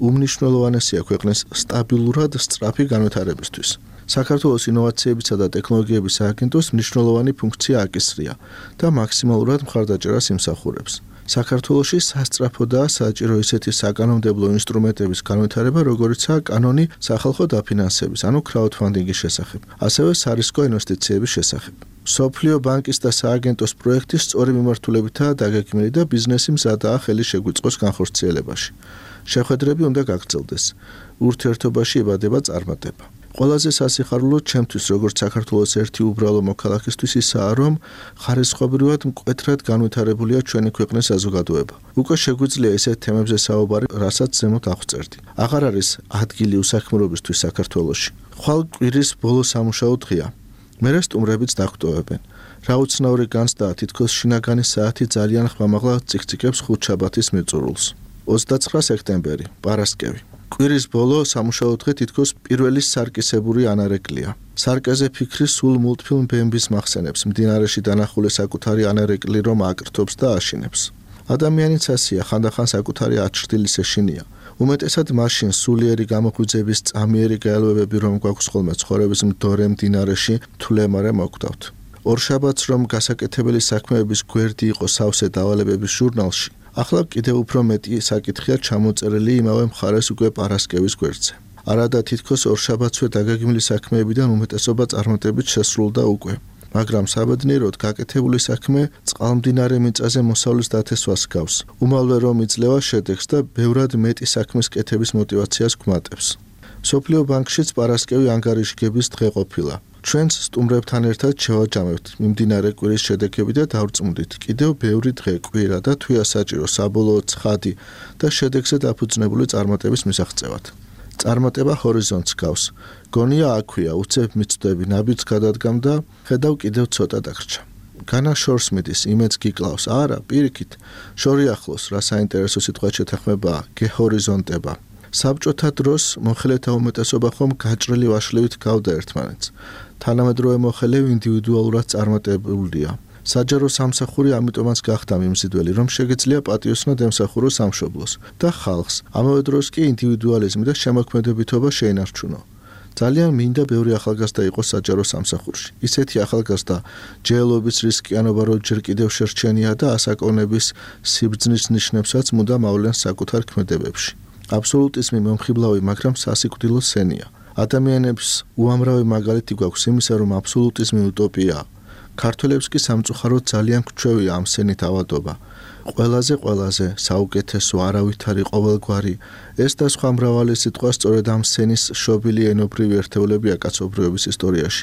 უმნიშვნელოვანესია ქვეყნის სტაბილურად სწრაფი განვითარებისთვის. საქართველოს ინოვაციებისა და ტექნოლოგიების სააგენტოს მნიშვნელოვანი ფუნქცია აკისრია და მაქსიმალურად მხარდაჭერას იმსახურებს. საქართველოში სასწრაფოდაა საჭირო ისეთი საკანონმდებლო ინსტრუმენტების განვითარება, როგორიცაა კანონი სახალხო დაფინანსების, ანუ crowdfunding-ის შესახებ, ასევე სარისკო ინვესტიციების შესახებ. მსოფლიო ბანკის და სააგენტოს პროექტის სწორი მიმართულებითაა დაგეგმილი და ბიზნესი მზადაა ხელი შეგვიწყოს განხორციელებაში. შეხვედრები უნდა გაგრძელდეს. ურთიერთობაში იბადება წარმატება. ყველაზე სასიხარულო ჩემთვის როგორც საქართველოს ერთი უბრალო მოქალაქისთვის ისაა, რომ ხარისხობრივად მკვეთრად განვითარებულია ჩვენი ქვეყნის საზოგადოება. უკვე შეგვიძლია ესეთ თემებზე საუბარი, რასაც ზემოთ აღწერდი. აღარ არის ადგილი უსაქმრობისთვის საქართველოში. ხვალ კვირის ბოლო სამუშაო დღეა. მერე სტუმრებიც დაგვტოვებენ. რა უცნაური განცდაა, თითქოს შინაგანი საათი ძალიან ხმამაღლა ციკციკებს ხუთშაბათის მიწურულს. 29 სექტემბერი, პარასკევი. კვირის ბოლო სამუშაო დღე თითქოს პირველი სარკისებური ანარეკლია. სარკეზე ფიქრი სულ მულტფილმ ბემბის მახსენებს, მდინარეში დანახული საკუთარი ანარეკლი რომ აკრთობს და აშინებს. ადამიანიც ასია, ხანდახან საკუთარი აჩრდილის ეშინია. უმეტესად მაშინ სულიერი გამოღვიძების წამიერი გაელვებები რომ გვაქვს ხოლმე ცხოვრების მდორე მდინარეში თვლემარე მოგვდავთ. ორშაბათს რომ გასაკეთებელი საქმეების გვერდი იყო სავსე დავალებების ჟურნალში, ახლა კიდევ უფრო მეტი საკითხია ჩამოწერილი იმავე მხარეს უკვე პარასკევის გვერდზე. არადა თითქოს ორშაბათსვე დაგეგმილი საქმეებიდან უმეტესობა წარმატებით შესრულდა უკვე. მაგრამ საბედნიეროდ გაკეთებული საქმე წყალმდინარე მიწაზე მოსავლის დათესვას გავს. უმალვე რომ იძლევა შედეგს და ბევრად მეტი საქმის კეთების мотиваციას გვმატებს. სოფლიო ბანკშიც პარასკევი ანგარიშგების დღე ყოფილა. ჩვენც სტუმრებთან ერთად შევაჯამებთ მიმდინარე კვირის შედეგები და დავწმუნდით კიდევ ბევრი დღე კვირა და თვია საჭირო საბოლოო ცხადი და შედეგზე დაფუძნებული წარმატების მისაღწევად. წარმატება ჰორიზონტს გავს. გონია აქვია, უცებ მიწვდები, ნაბიჯს გადადგამ და ხედავ კიდევ ცოტა დაგრჩა. განა შორს მიდის, იმედს გიკლავს. არა, პირიქით, შორი ახლოს, რა საინტერესო სიტყვა შეთანხმებაა, გეჰორიზონტება. საბჭოთა დროს მოხელეთა უმეტესობა ხომ გაჭრილი ვაშლივით გავდა ერთმანეთს. თანამედროვე მოხელეები ინდივიდუალურად წარმატებულია. საჯარო სამსახური ამიტომაც გახდა მიმზიდველი, რომ შეგეძლია პატიოსნად ემსახუროს სამშობლოს და ხალხს. ამავე დროს კი ინდივიდუალიზმი და შემოქმედებითობა შეინარჩუნო. ძალიან მინდა ბევრი ახალგაზრდა იყოს საჯარო სამსახურში. ისეთი ახალგაზრდა ჯეელობის რისკიანობა რო ჯერ კიდევ შერჩენია და ასაკოვნების სიბრძნის ნიშნებსაც მუდამ ავლენს საკუთარ ქმედებებში. აბსოლუტიზმი მომხიბლავი, მაგრამ სასიკვდილო სენია. ადამიანებს უამრავი მაგალითი გვაქვს იმისა, რომ აბსოლუტიზმი უტოპიაა. ქართველებს კი სამწუხაროდ ძალიან გვჩვევია ამ სენით ავადობა. ყველაზე საუკეთესო, არავითარი, ყოველგვარი, ეს და სხვა მრავალი სიტყვა სწორედ ამ სენის შობილი ენობრივი ერთეულებია კაცობრიობის ისტორიაში,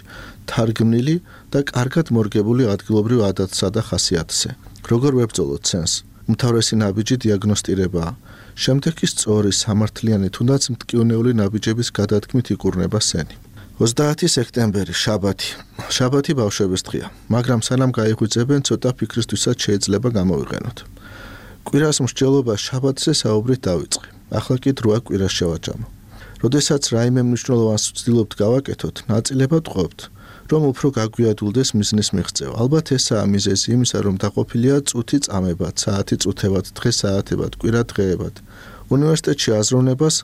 თარგმნილი და კარგად მორგებული ადგილობრივ ადათსა და ხასიათზე. როგორ ვებრძოლოთ სენს? უმთავრესი ნაბიჯი დიაგნოსტირებაა. შემდეგ კი სწორი, სამართლიანი, თუნდაც მტკივნეული ნაბიჯების გადადგმით იკურნება სენი. 30 სექტემბერი, შაბათი. შაბათი ბავშვების დღეა, მაგრამ სანამ გაიღვიძებენ, ცოტა ფიქრისთვისაც შეიძლება გამოვიყენოთ. კვირას მსჯელობა შაბათზე საუბრით დავიწყე. ახლა კი დროა კვირას შევაჯამო. როდესაც რაიმე მნიშვნელოვანს ვცდილობთ გავაკეთოთ, ნაწილებად ყვებთ, რომ უფრო გაგვიადულდეს მიზნის მიღწევა. ალბათ ესაა მიზეზი იმისა, რომ დაყოფილია წუთი წამებად, საათი წუთებად, დღე საათებად, კვირა დღეებად. უნივერსიტეტში აზროვნებას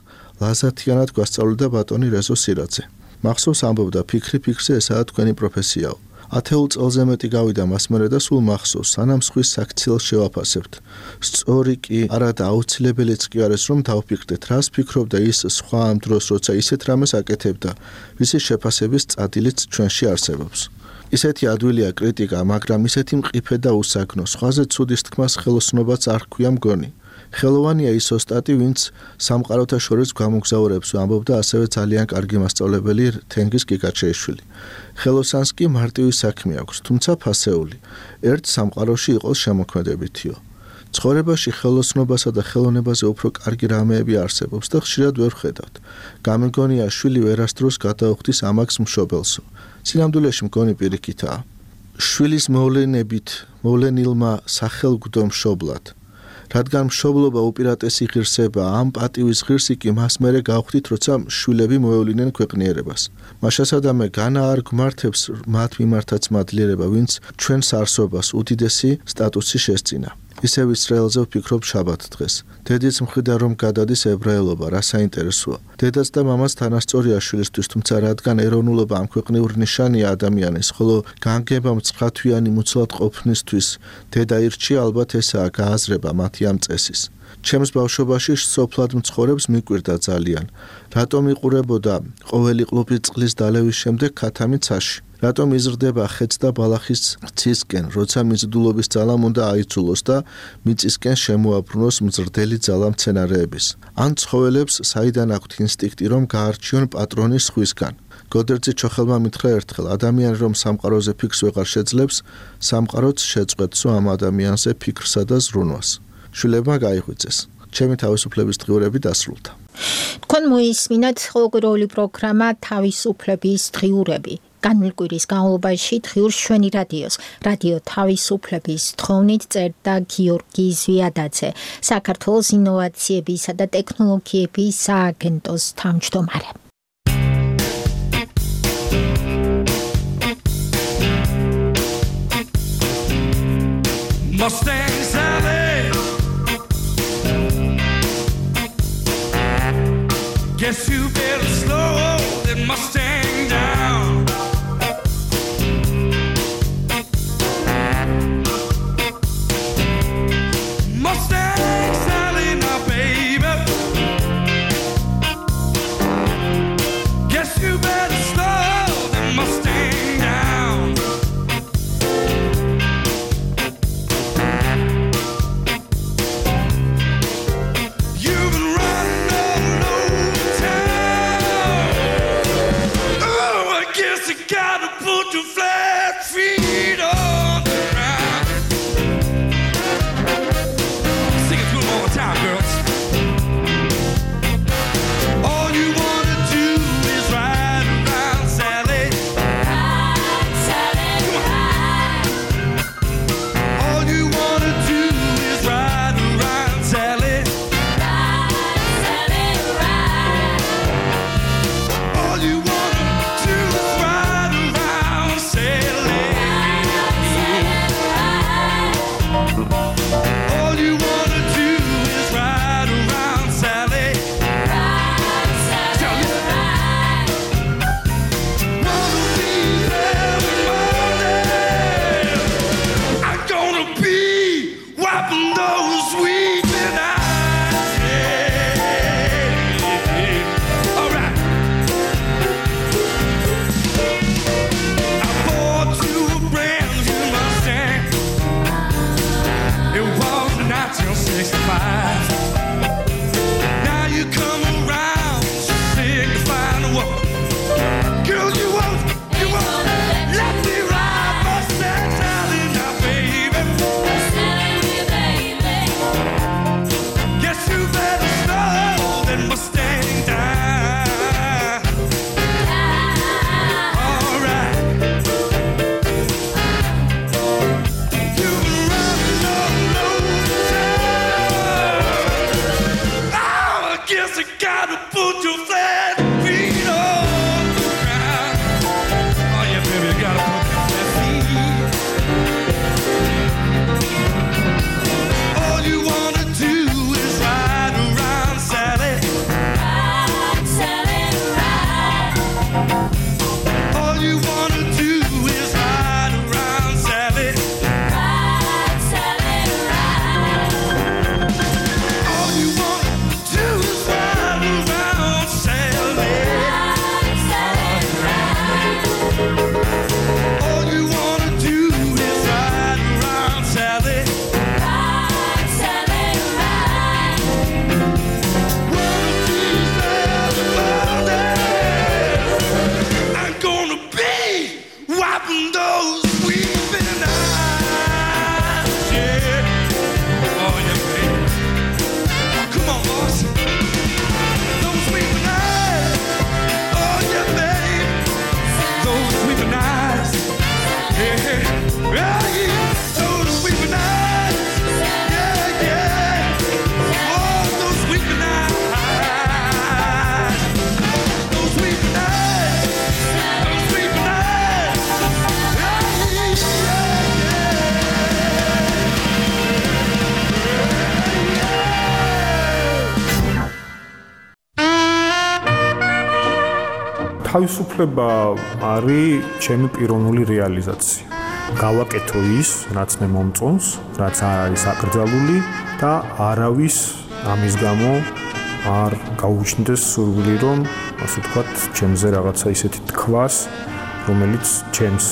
ლაზათიანად გვასწავლიდა ბატონი რეზო სირაძე. მახსოვს ამბობდა, ფიქრზე ესაა თქვენი პროფესიაო. 10 წელზე მეტი გავიდა მას მერე და სულ მახსოვს, სანამ სხვის საქციელს შევაფასებთ. სწორი კი, არადა აუცილებელიც კი არის, რომ დავფიქრდეთ, რას ფიქრობდა ის სხვა ამ დროს, როცა ისეთ რამეს აკეთებდა, ვისი შეფასების წადილიც ჩვენში არსებობს. ისეთი ადვილია კრიტიკა, მაგრამ ისეთი მყიფე და უსაგნო, სხვაზე ცუდის თქმას ხელოსნობაც არ ჰქვია მგონი. ხელოვანია ის ოსტატი, ვინც სამყაროთა შორის გამოგზაურებს, ამბობდა ასევე ძალიან კარგი მასწავლებელი თენგიზ კიკაჩეიშვილი. ხელოსანს კი მარტივი საქმე აქვს, თუმცა ფასეული. ერთ სამყაროში იყოს შემოქმედებითიო. ცხოვრებაში ხელოსნობასა და ხელოვნებაზე უფრო კარგი რამეები არსებობს და ხშირად ვერ ვხედავთ. გამიგონია შვილი ვერასდროს გადაუხდის ამაკს მშობელსო. სინამდვილეში მგონი პირიქითაა. შვილის მოვლენილმა სახელგვდო მშობლად. რადგან მშობლობა უპირატესი ღირსება, ამ პატივის ღირსი კი მას მერე გავხდით, როცა შვილები მოევლინენ ქვეყნიერებას. მაშასადამე განა არ გმართებს მათ მიმართაც მადლიერება, ვინც ჩვენს არსობას უდიდესი სტატუსი შესწინა. ისევ ისრაელზე ვფიქრობ შაბათ დღეს. დედიც მხრიდან რომ გადადის ებრაელობა, რა საინტერესოა. დედაც და მამაც თანასწორია შვილისთვის, თუმცა რადგან ეროვნულობა ამ ქვეყნიურ ნიშანია ადამიანის, ხოლო განგება მცხათვიანი მუცლად ყოფნისთვის დედა ირჩია, ალბათ ესაა გააზრება მათი ამ წესის. ჩემს ბავშვობაში სოფლად მცხოვრებს მიკვირდა ძალიან. რატომ იყურებოდა ყოველი ყლუპი წყლის დალევის შემდეგ ქათამი ცაში? რატომ იზრდება ხეც და ბალახის ცისკენ, როცა მიზიდულობის ძალამ უნდა აიცულოს და მიწისკენ შემოაბრუნოს მზრდელი ძალა მცენარეების. ან ცხოველებს საიდან აქვთ ინსტინქტი, რომ გაარჩიონ პატრონი სხვისგან. გოდერძი ჩოხელმა მითხრა ერთხელ, ადამიანი რომ სამყაროზე ფიქრს ვეღარ შეძლებს, სამყაროც შეწყვეტსო ამ ადამიანზე ფიქრსა და ზრუნვას. შვილებმა გაიღვიძეს. ჩემი თავისუფლების დღიურები დასრულდა. თქვენ მოისმინეთ ყოველკვირეული პროგრამა თავისუფლების დღიურები. განმილკვირის განმავლობაში დღიურს ჩვენი რადიოს, რადიო თავისუფლების თხოვნით წერდა გიორგი ზვიადაძე, საქართველოს ინოვაციებისა და ტექნოლოგიების სააგენტოს თავმჯდომარე. Mustang Sally, guess you better slow that Mustang down. Mustang Sally, now baby, guess you better slow that Mustang down. თავისუფლება არის ჩემი პიროვნული რეალიზაცია. გავაკეთო ის, რაც მე მომწონს, რაც არ არის აკრძალული და არავის ამის გამო არ გაუჩნდეს სურვილი, რომ ასე ვთქვათ, ჩემზე რაღაცა ისეთი თქვას, რომელიც ჩემს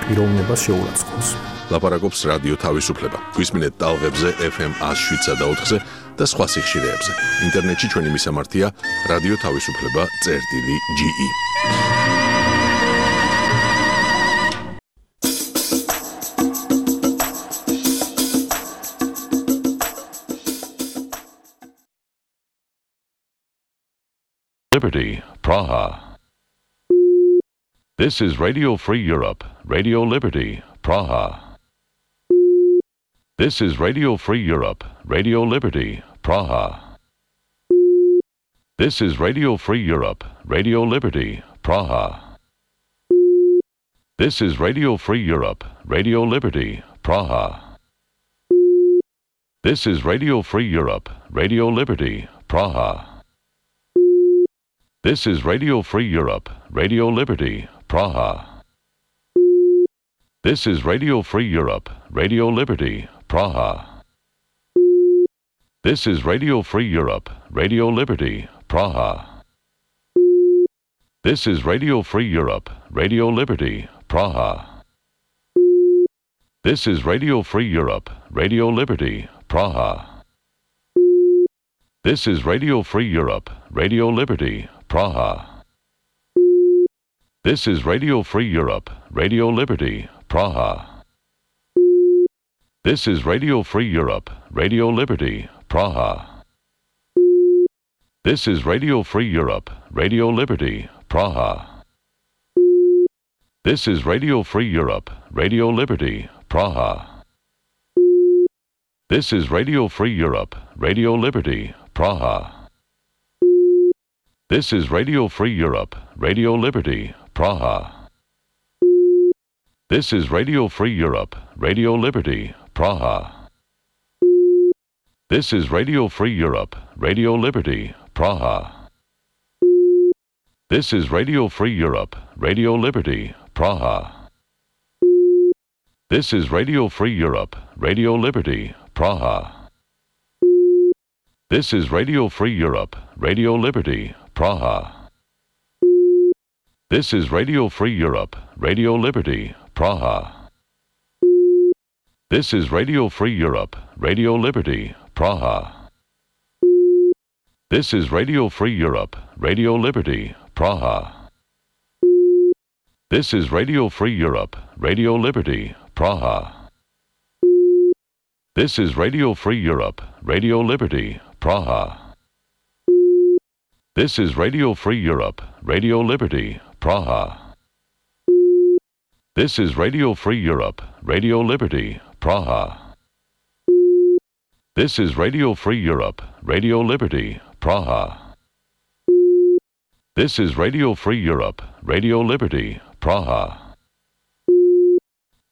პიროვნებას შეურაცხყოფს. ლაპარაკობს რადიო თავისუფლება. გვისმინეთ ტალღებზე FM 107.4-ზე და სხვა სიხშირეებზე. ინტერნეტში ჩვენი მისამართია რადიო თავისუფლება.ge. Liberty, Praha. This is Radio Free Europe, Radio Liberty, Praha. This is Radio Free Europe, Radio Liberty, Praha. This is Radio Free Europe, Radio Liberty, Praha. This is Radio Free Europe, Radio Liberty, Praha. This is Radio Free Europe, Radio Liberty, Praha. This is Radio Free Europe, Radio Liberty, Praha. This is Radio Free Europe, Radio Liberty, Praha. This is Radio Free Europe, Radio Liberty, Praha. This is Radio Free Europe, Radio Liberty, Praha. This is Radio Free Europe, Radio Liberty, Praha. This is Radio Free Europe, Radio Liberty, Praha. This is Radio Free Europe, Radio Liberty, Praha. This is Radio Free Europe, Radio Liberty, Praha. This is Radio Free Europe, Radio Liberty, Praha. This is Radio Free Europe, Radio Liberty, Praha. This is Radio Free Europe, Radio Liberty, Praha. This is Radio Free Europe, Radio Liberty, Praha. This is Radio Free Europe, Radio Liberty, Praha. This is Radio Free Europe, Radio Liberty, Praha. This is Radio Free Europe, Radio Liberty, Praha. This is Radio Free Europe, Radio Liberty, Praha. This is Radio Free Europe, Radio Liberty, Praha. This is Radio Free Europe, Radio Liberty, Praha. This is Radio Free Europe, Radio Liberty, Praha. This is Radio Free Europe, Radio Liberty, Praha. This is Radio Free Europe, Radio Liberty, Praha. This is Radio Free Europe, Radio Liberty, Praha. This is Radio Free Europe, Radio Liberty, Praha. This is Radio Free Europe, Radio Liberty, Praha. This is Radio Free Europe, Radio Liberty, Praha. This is Radio Free Europe, Radio Liberty, Praha.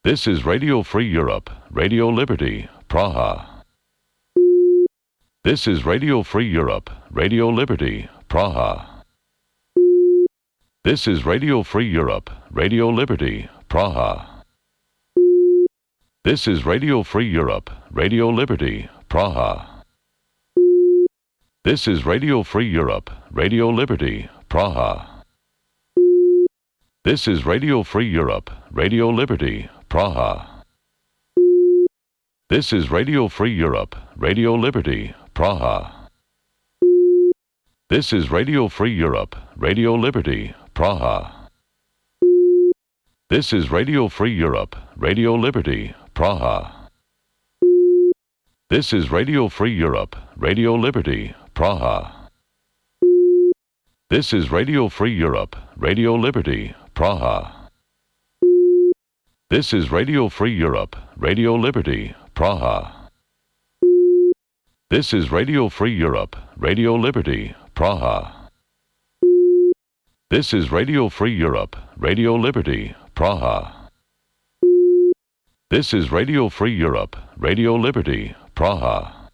This is Radio Free Europe, Radio Liberty, Praha. This is Radio Free Europe, Radio Liberty, Praha. This is Radio Free Europe, Radio Liberty, Praha. This is Radio Free Europe, Radio Liberty, Praha. This is Radio Free Europe, Radio Liberty, Praha. This is Radio Free Europe, Radio Liberty, Praha. This is Radio Free Europe, Radio Liberty, Praha. This is Radio Free Europe, Radio Liberty, Praha. This is Radio Free Europe, Radio Liberty, Praha. This is Radio Free Europe, Radio Liberty, Praha. This is Radio Free Europe, Radio Liberty, Praha. This is Radio Free Europe, Radio Liberty, Praha. This is Radio Free Europe, Radio Liberty, Praha. This is Radio Free Europe, Radio Liberty, Praha. This is Radio Free Europe, Radio Liberty, Praha.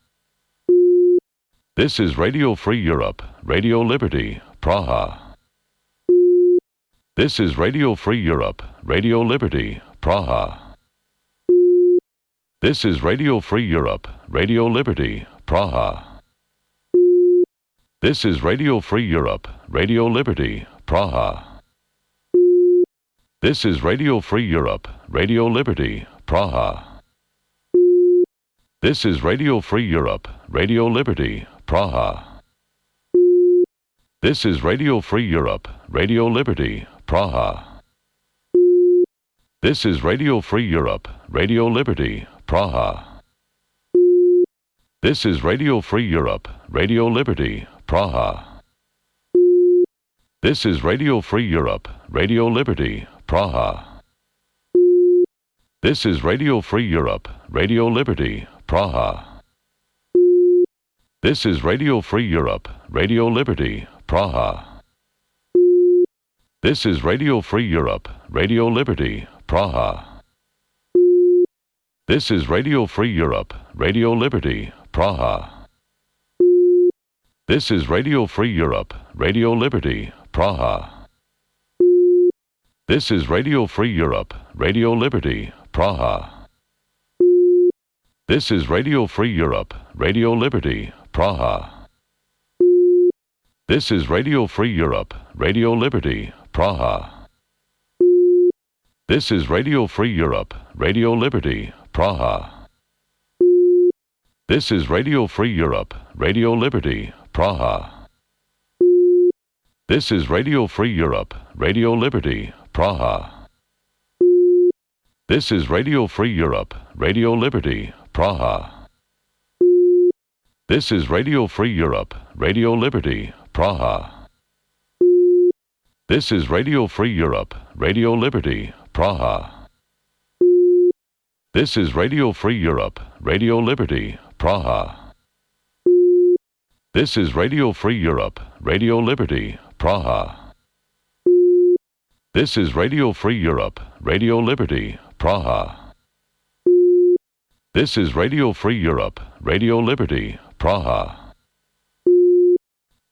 This is Radio Free Europe, Radio Liberty, Praha. This is Radio Free Europe, Radio Liberty, Praha. This is Radio Free Europe, Radio Liberty, Praha. This is Radio Free Europe, Radio Liberty, Praha. This is Radio Free Europe, Radio Liberty, Praha. This is Radio Free Europe, Radio Liberty, Praha. This is Radio Free Europe, Radio Liberty, Praha. This is Radio Free Europe, Radio Liberty, Praha. This is Radio Free Europe, Radio Liberty, Praha. This is Radio Free Europe, Radio Liberty, Praha. This is Radio Free Europe, Radio Liberty, Praha. This is Radio Free Europe, Radio Liberty, Praha. This is Radio Free Europe, Radio Liberty, Praha. This is Radio Free Europe, Radio Liberty, Praha. This is Radio Free Europe, Radio Liberty, Praha. This is Radio Free Europe, Radio Liberty, Praha. This is Radio Free Europe, Radio Liberty, Praha. This is Radio Free Europe, Radio Liberty, Praha. This is Radio Free Europe, Radio Liberty, Praha. This is Radio Free Europe, Radio Liberty, Praha. This is Radio Free Europe, Radio Liberty, Praha. This is Radio Free Europe, Radio Liberty, Praha. This is Radio Free Europe, Radio Liberty, Praha. This is Radio Free Europe, Radio Liberty, Praha. This is Radio Free Europe, Radio Liberty, Praha. This is Radio Free Europe, Radio Liberty, Praha. This is Radio Free Europe, Radio Liberty, Praha. This is Radio Free Europe, Radio Liberty, Praha.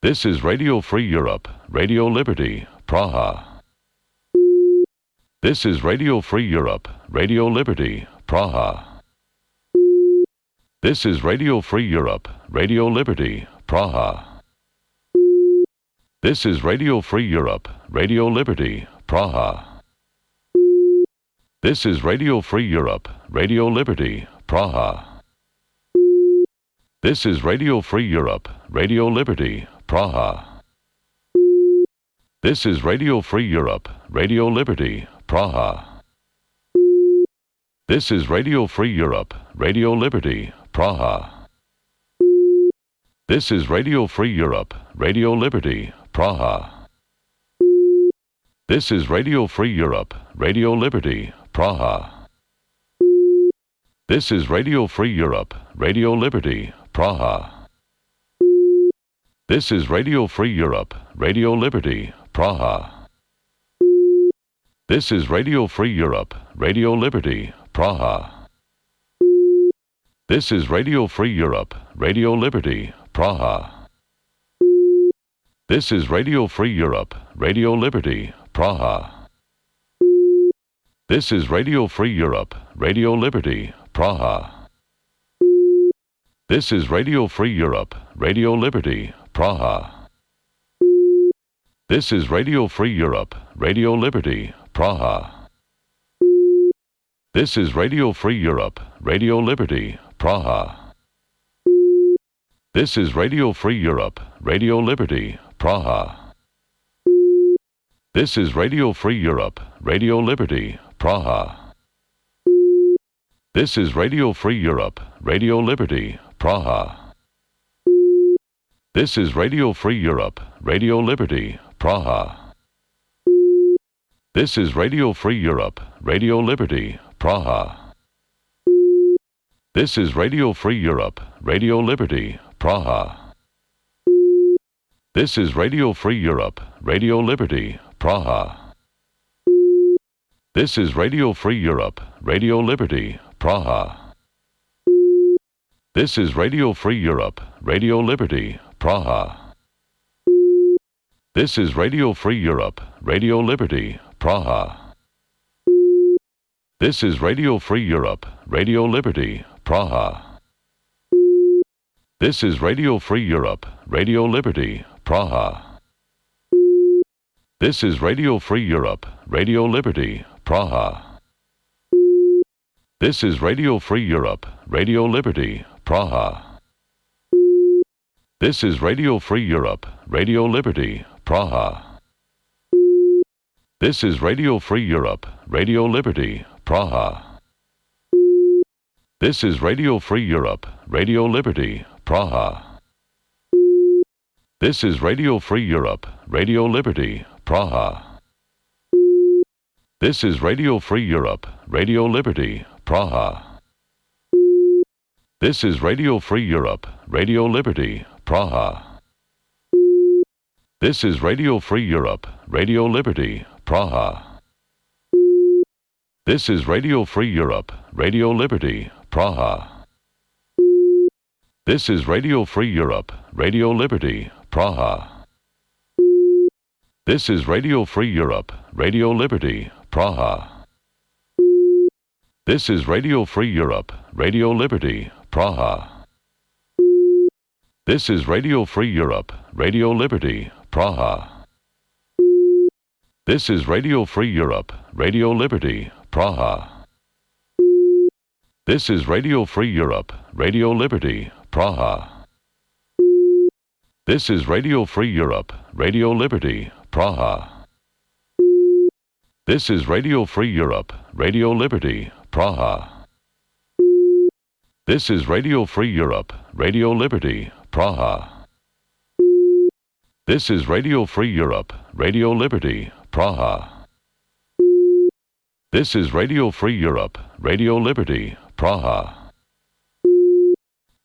This is Radio Free Europe, Radio Liberty, Praha. This is Radio Free Europe, Radio Liberty, Praha. This is Radio Free Europe, Radio Liberty, Praha. This is Radio Free Europe, Radio Liberty, Praha. This is Radio Free Europe, Radio Liberty, Praha. This is Radio Free Europe, Radio Liberty, Praha. This is Radio Free Europe, Radio Liberty, Praha. This is Radio Free Europe, Radio Liberty, Praha. This is Radio Free Europe, Radio Liberty, Praha. This is Radio Free Europe, Radio Liberty, Praha. This is Radio Free Europe, Radio Liberty, Praha. This is Radio Free Europe, Radio Liberty, Praha. This is Radio Free Europe, Radio Liberty, Praha. This is Radio Free Europe, Radio Liberty, Praha. This is Radio Free Europe, Radio Liberty, Praha. This is Radio Free Europe, Radio Liberty, Praha. This is Radio Free Europe, Radio Liberty, Praha. This is Radio Free Europe, Radio Liberty, Praha. This is Radio Free Europe, Radio Liberty, Praha. This is Radio Free Europe, Radio Liberty, Praha. This is Radio Free Europe, Radio Liberty, Praha. This is Radio Free Europe, Radio Liberty, Praha. This is Radio Free Europe, Radio Liberty, Praha. This is Radio Free Europe, Radio Liberty, Praha. This is Radio Free Europe, Radio Liberty, Praha. This is Radio Free Europe, Radio Liberty, Praha. This is Radio Free Europe, Radio Liberty, Praha. This is Radio Free Europe, Radio Liberty, Praha. This is Radio Free Europe, Radio Liberty, Praha. This is Radio Free Europe, Radio Liberty, Praha. This is Radio Free Europe, Radio Liberty, Praha. This is Radio Free Europe, Radio Liberty, Praha. This is Radio Free Europe, Radio Liberty, Praha. This is Radio Free Europe, Radio Liberty, Praha. This is Radio Free Europe, Radio Liberty, Praha. This is Radio Free Europe, Radio Liberty, Praha. This is Radio Free Europe, Radio Liberty, Praha. This is Radio Free Europe, Radio Liberty, Praha. This is Radio Free Europe, Radio Liberty, Praha. This is Radio Free Europe, Radio Liberty, Praha. This is Radio Free Europe, Radio Liberty, Praha. This is Radio Free Europe, Radio Liberty, Praha. This is Radio Free Europe, Radio Liberty, Praha. This is Radio Free Europe, Radio Liberty, Praha. This is Radio Free Europe, Radio Liberty, Praha. This is Radio Free Europe, Radio Liberty, Praha. This is Radio Free Europe, Radio Liberty, Praha. This is Radio Free Europe, Radio Liberty, Praha. This is Radio Free Europe, Radio Liberty, Praha. This is Radio Free Europe, Radio Liberty, Praha. This is Radio Free Europe, Radio Liberty, Praha. This is Radio Free Europe, Radio Liberty, Praha.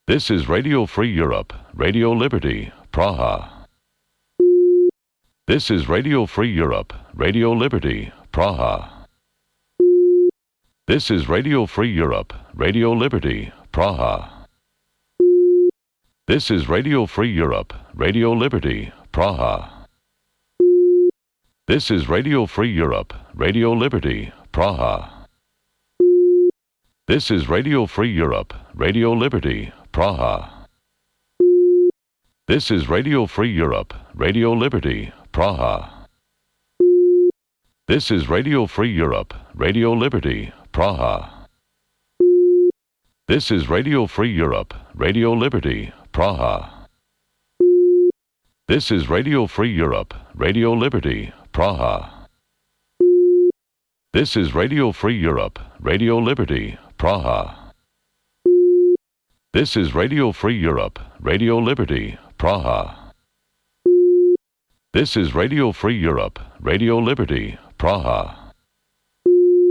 This is Radio Free Europe, Radio Liberty, Praha. This is Radio Free Europe, Radio Liberty, Praha. This is Radio Free Europe, Radio Liberty, Praha. This is Radio Free Europe, Radio Liberty, Praha. This is Radio Free Europe, Radio Liberty, Praha. This is Radio Free Europe, Radio Liberty, Praha. This is Radio Free Europe, Radio Liberty, Praha. This is Radio Free Europe, Radio Liberty, Praha. This is Radio Free Europe, Radio Liberty, Praha. This is Radio Free Europe, Radio Liberty, Praha. This is Radio Free Europe, Radio Liberty, Praha. This is Radio Free Europe, Radio Liberty, Praha. This is Radio Free Europe, Radio Liberty, Praha.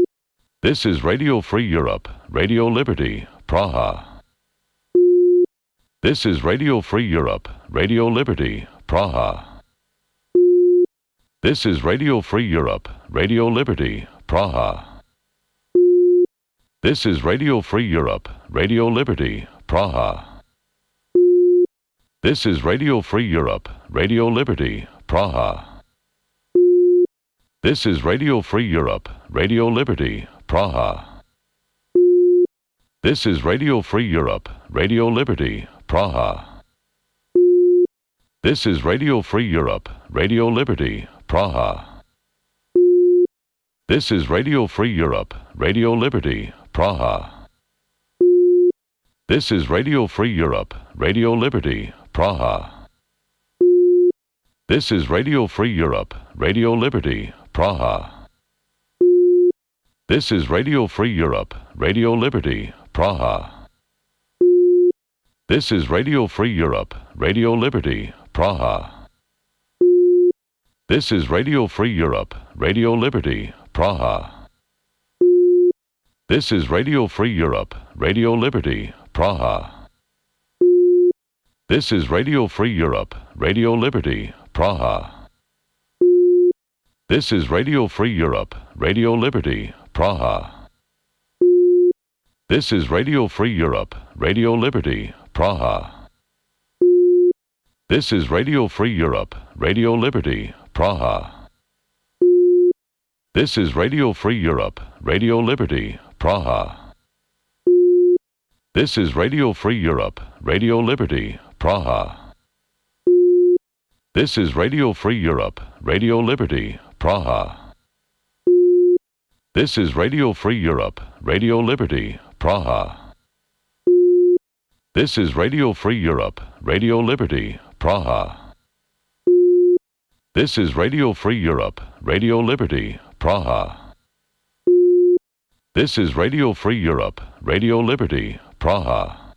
This is Radio Free Europe, Radio Liberty, Praha. This is Radio Free Europe, Radio Liberty, Praha. This is Radio Free Europe, Radio Liberty, Praha. This is Radio Free Europe, Radio Liberty, Praha. This is Radio Free Europe, Radio Liberty, Praha. This is Radio Free Europe, Radio Liberty, Praha. This is Radio Free Europe, Radio Liberty, Praha. This is Radio Free Europe, Radio Liberty, Praha. This is Radio Free Europe, Radio Liberty, Praha. This is Radio Free Europe, Radio Liberty, Praha. This is Radio Free Europe, Radio Liberty, Praha. This is Radio Free Europe, Radio Liberty, Praha. This is Radio Free Europe, Radio Liberty, Praha. This is Radio Free Europe, Radio Liberty, Praha. This is Radio Free Europe, Radio Liberty, Praha. This is Radio Free Europe, Radio Liberty, Praha. This is Radio Free Europe, Radio Liberty, Praha. This is Radio Free Europe, Radio Liberty, Praha. This is Radio Free Europe, Radio Liberty, Praha. This is Radio Free Europe, Radio Liberty, Praha. This is Radio Free Europe, Radio Liberty, Praha. This is Radio Free Europe, Radio Liberty, Praha. This is Radio Free Europe, Radio Liberty, Praha. This is Radio Free Europe, Radio Liberty, Praha. This is Radio Free Europe, Radio Liberty, Praha. This is Radio Free Europe, Radio Liberty, Praha.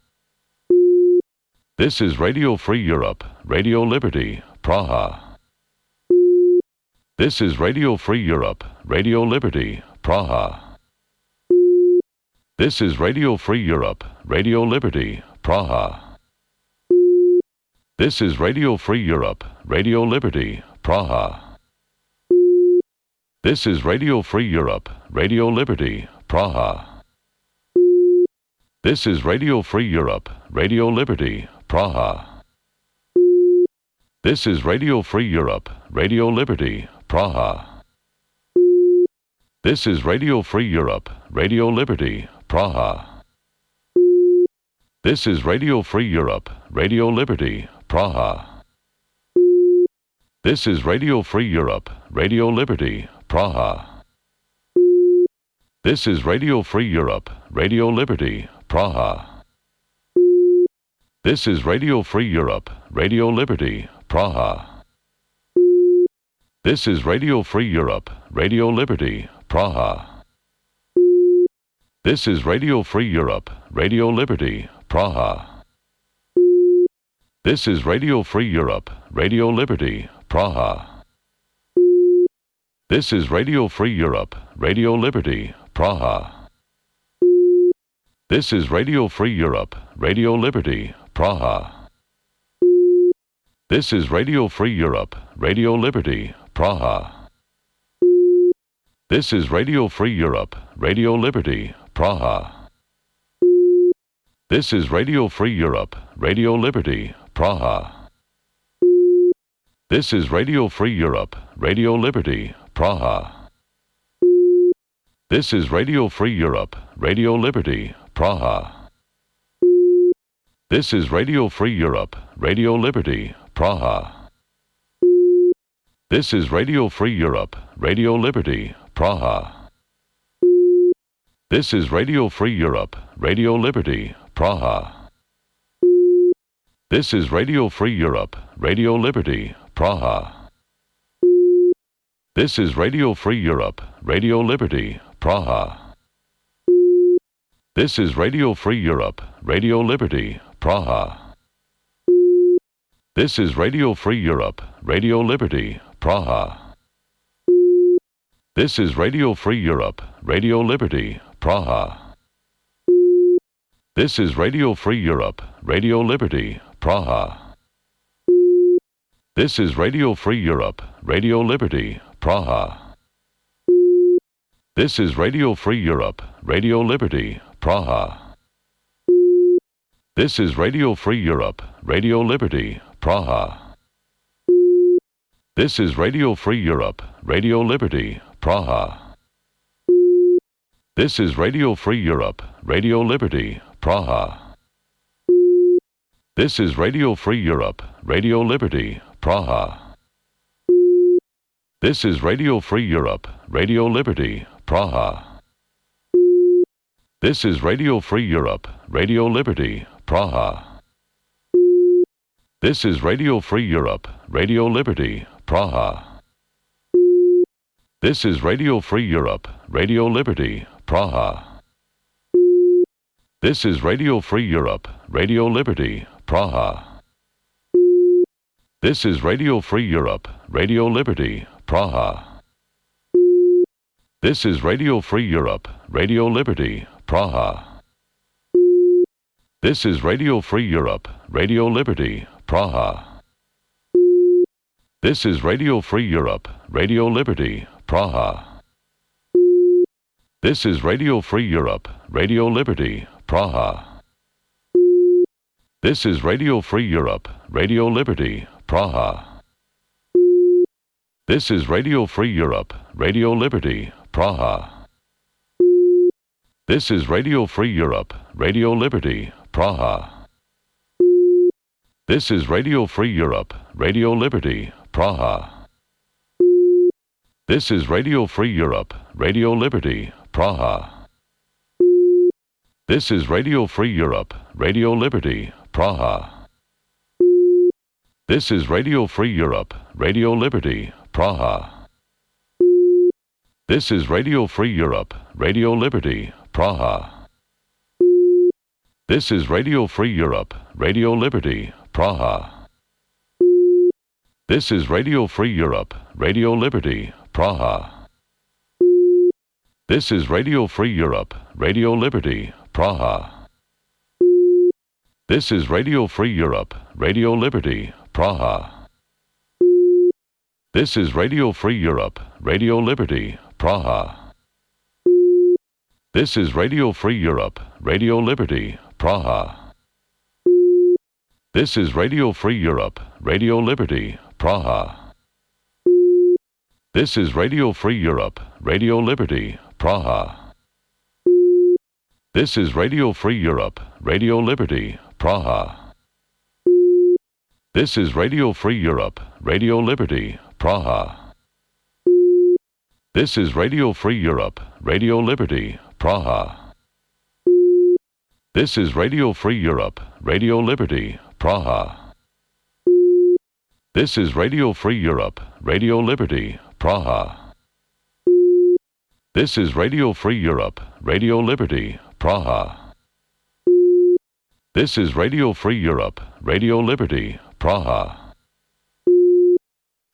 This is Radio Free Europe, Radio Liberty, Praha. This is Radio Free Europe, Radio Liberty, Praha. This is Radio Free Europe, Radio Liberty, Praha. This is Radio Free Europe, Radio Liberty, Praha. This is Radio Free Europe, Radio Liberty, Praha. This is Radio Free Europe, Radio Liberty, Praha. This is Radio Free Europe, Radio Liberty, Praha. This is Radio Free Europe, Radio Liberty, Praha. This is Radio Free Europe, Radio Liberty, Praha. This is Radio Free Europe, Radio Liberty, Praha. This is Radio Free Europe, Radio Liberty, Praha. This is Radio Free Europe, Radio Liberty, Praha. This is Radio Free Europe, Radio Liberty, Praha. This is Radio Free Europe, Radio Liberty, Praha. This is Radio Free Europe, Radio Liberty, Praha. This is Radio Free Europe, Radio Liberty, Praha. This is Radio Free Europe, Radio Liberty, Praha. This is Radio Free Europe, Radio Liberty, Praha. This is Radio Free Europe, Radio Liberty, Praha. This is Radio Free Europe, Radio Liberty, Praha. This is Radio Free Europe, Radio Liberty, Praha. This is Radio Free Europe, Radio Liberty, Praha. This is Radio Free Europe, Radio Liberty, Praha. This is Radio Free Europe, Radio Liberty, Praha. This is Radio Free Europe, Radio Liberty, Praha. This is Radio Free Europe, Radio Liberty, Praha. This is Radio Free Europe, Radio Liberty, Praha. This is Radio Free Europe, Radio Liberty, Praha. This is Radio Free Europe, Radio Liberty, Praha. This is Radio Free Europe, Radio Liberty, Praha. This is Radio Free Europe, Radio Liberty, Praha. This is Radio Free Europe, Radio Liberty, Praha. This is Radio Free Europe, Radio Liberty, Praha. This is Radio Free Europe, Radio Liberty, Praha. This is Radio Free Europe, Radio Liberty, Praha. This is Radio Free Europe, Radio Liberty, Praha. This is Radio Free Europe, Radio Liberty, Praha. This is Radio Free Europe, Radio Liberty, Praha. This is Radio Free Europe, Radio Liberty, Praha. This is Radio Free Europe, Radio Liberty, Praha. This is Radio Free Europe, Radio Liberty, Praha. This is Radio Free Europe, Radio Liberty, Praha. This is Radio Free Europe, Radio Liberty, Praha. This is Radio Free Europe, Radio Liberty, Praha. This is Radio Free Europe, Radio Liberty, Praha. This is Radio Free Europe, Radio Liberty, Praha. This is Radio Free Europe, Radio Liberty, Praha. This is Radio Free Europe, Radio Liberty, Praha. This is Radio Free Europe, Radio Liberty, Praha. This is Radio Free Europe, Radio Liberty, Praha. This is Radio Free Europe, Radio Liberty, Praha. This is Radio Free Europe, Radio Liberty, Praha. This is Radio Free Europe, Radio Liberty, Praha. This is Radio Free Europe, Radio Liberty, Praha. This is Radio Free Europe, Radio Liberty, Praha. This is Radio Free Europe, Radio Liberty, Praha. This is Radio Free Europe, Radio Liberty, Praha. This is Radio Free Europe, Radio Liberty, Praha. This is Radio Free Europe, Radio Liberty, Praha. This is Radio Free Europe, Radio Liberty, Praha. This is Radio Free Europe, Radio Liberty, Praha. This is Radio Free Europe, Radio Liberty, Praha. This is Radio Free Europe, Radio Liberty, Praha. This is Radio Free Europe, Radio Liberty, Praha. This is Radio Free Europe, Radio Liberty, Praha. This is Radio Free Europe, Radio Liberty, Praha. This is Radio Free Europe, Radio Liberty, Praha. This is Radio Free Europe, Radio Liberty, Praha. This is Radio Free Europe, Radio Liberty, Praha. This is Radio Free Europe, Radio Liberty, Praha.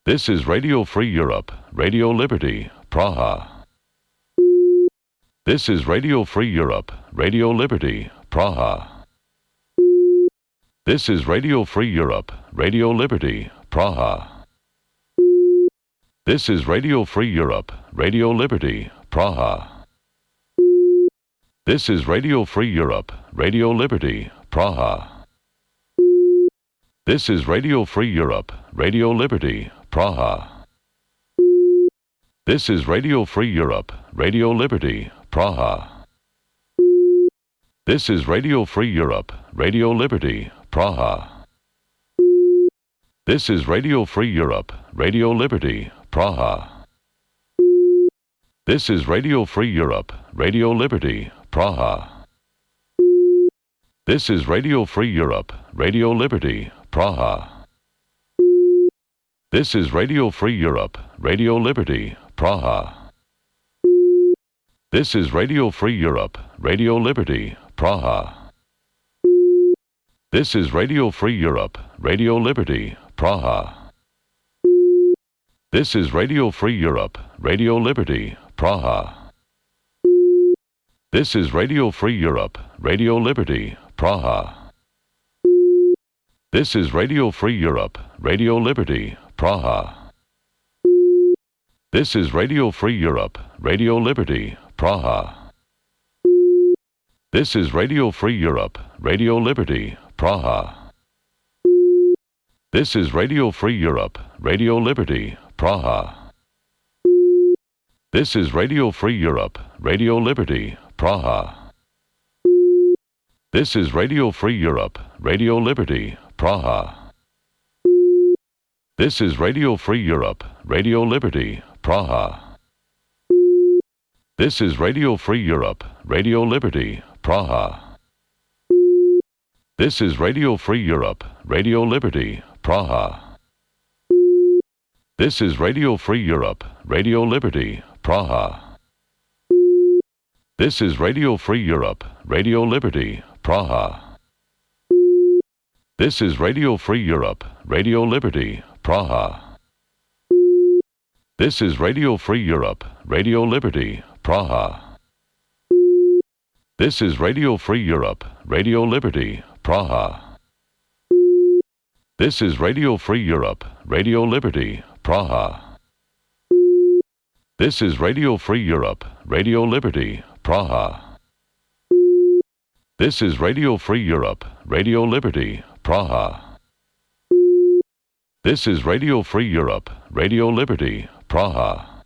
This is Radio Free Europe, Radio Liberty, Praha. This is Radio Free Europe, Radio Liberty, Praha. This is Radio Free Europe, Radio Liberty, Praha. This is Radio Free Europe, Radio Liberty, Praha. This is Radio Free Europe, Radio Liberty, Praha. This is Radio Free Europe, Radio Liberty, Praha. This is Radio Free Europe, Radio Liberty, Praha. This is Radio Free Europe, Radio Liberty, Praha. This is Radio Free Europe, Radio Liberty, Praha. This is Radio Free Europe, Radio Liberty, Praha. This is Radio Free Europe, Radio Liberty, Praha. This is Radio Free Europe, Radio Liberty, Praha. This is Radio Free Europe, Radio Liberty, Praha. This is Radio Free Europe, Radio Liberty, Praha. This is Radio Free Europe, Radio Liberty, Praha. This is Radio Free Europe, Radio Liberty, Praha. This is Radio Free Europe, Radio Liberty, Praha. This is Radio Free Europe, Radio Liberty, Praha. This is Radio Free Europe, Radio Liberty, Praha. This is Radio Free Europe, Radio Liberty, Praha. This is Radio Free Europe, Radio Liberty, Praha. This is Radio Free Europe, Radio Liberty, Praha. This is Radio Free Europe, Radio Liberty, Praha. This is Radio Free Europe, Radio Liberty, Praha. This is Radio Free Europe, Radio Liberty, Praha. This is Radio Free Europe, Radio Liberty, Praha. This is Radio Free Europe, Radio Liberty, Praha. This is Radio Free Europe, Radio Liberty, Praha. This is Radio Free Europe, Radio Liberty, Praha. This is Radio Free Europe, Radio Liberty, Praha. This is Radio Free Europe, Radio Liberty, Praha. This is Radio Free Europe, Radio Liberty, Praha. This is Radio Free Europe, Radio Liberty, Praha. This is Radio Free Europe, Radio Liberty, Praha.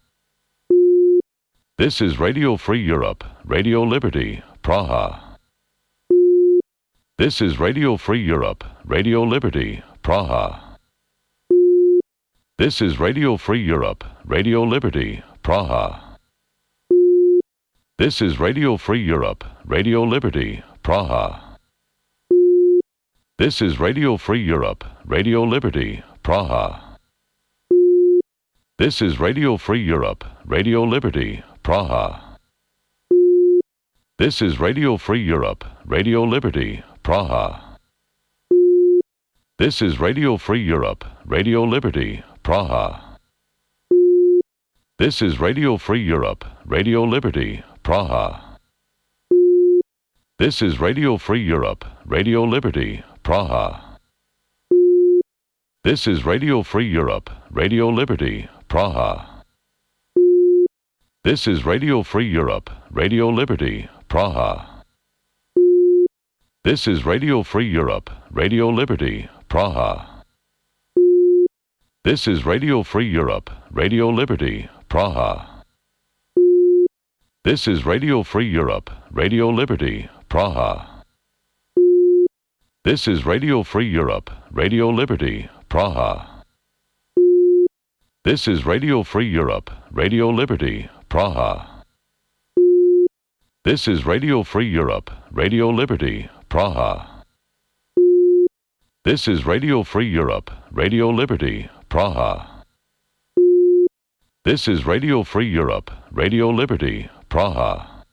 This is Radio Free Europe, Radio Liberty, Praha. This is Radio Free Europe, Radio Liberty, Praha. This is Radio Free Europe, Radio Liberty, Praha. This is Radio Free Europe, Radio Liberty, Praha. This is Radio Free Europe, Radio Liberty, Praha. This is Radio Free Europe, Radio Liberty, Praha. This is Radio Free Europe, Radio Liberty, Praha. This is Radio Free Europe, Radio Liberty, Praha. This is Radio Free Europe, Radio Liberty, Praha. This is Radio Free Europe, Radio Liberty, Praha. This is Radio Free Europe, Radio Liberty, Praha. This is Radio Free Europe, Radio Liberty, Praha. This is Radio Free Europe, Radio Liberty, Praha. This is Radio Free Europe, Radio Liberty, Praha. This is Radio Free Europe, Radio Liberty, Praha. This is Radio Free Europe, Radio Liberty, Praha. This is Radio Free Europe, Radio Liberty, Praha. This is Radio Free Europe, Radio Liberty, Praha. This is Radio Free Europe, Radio Liberty, Praha. This is Radio Free Europe, Radio Liberty, Praha.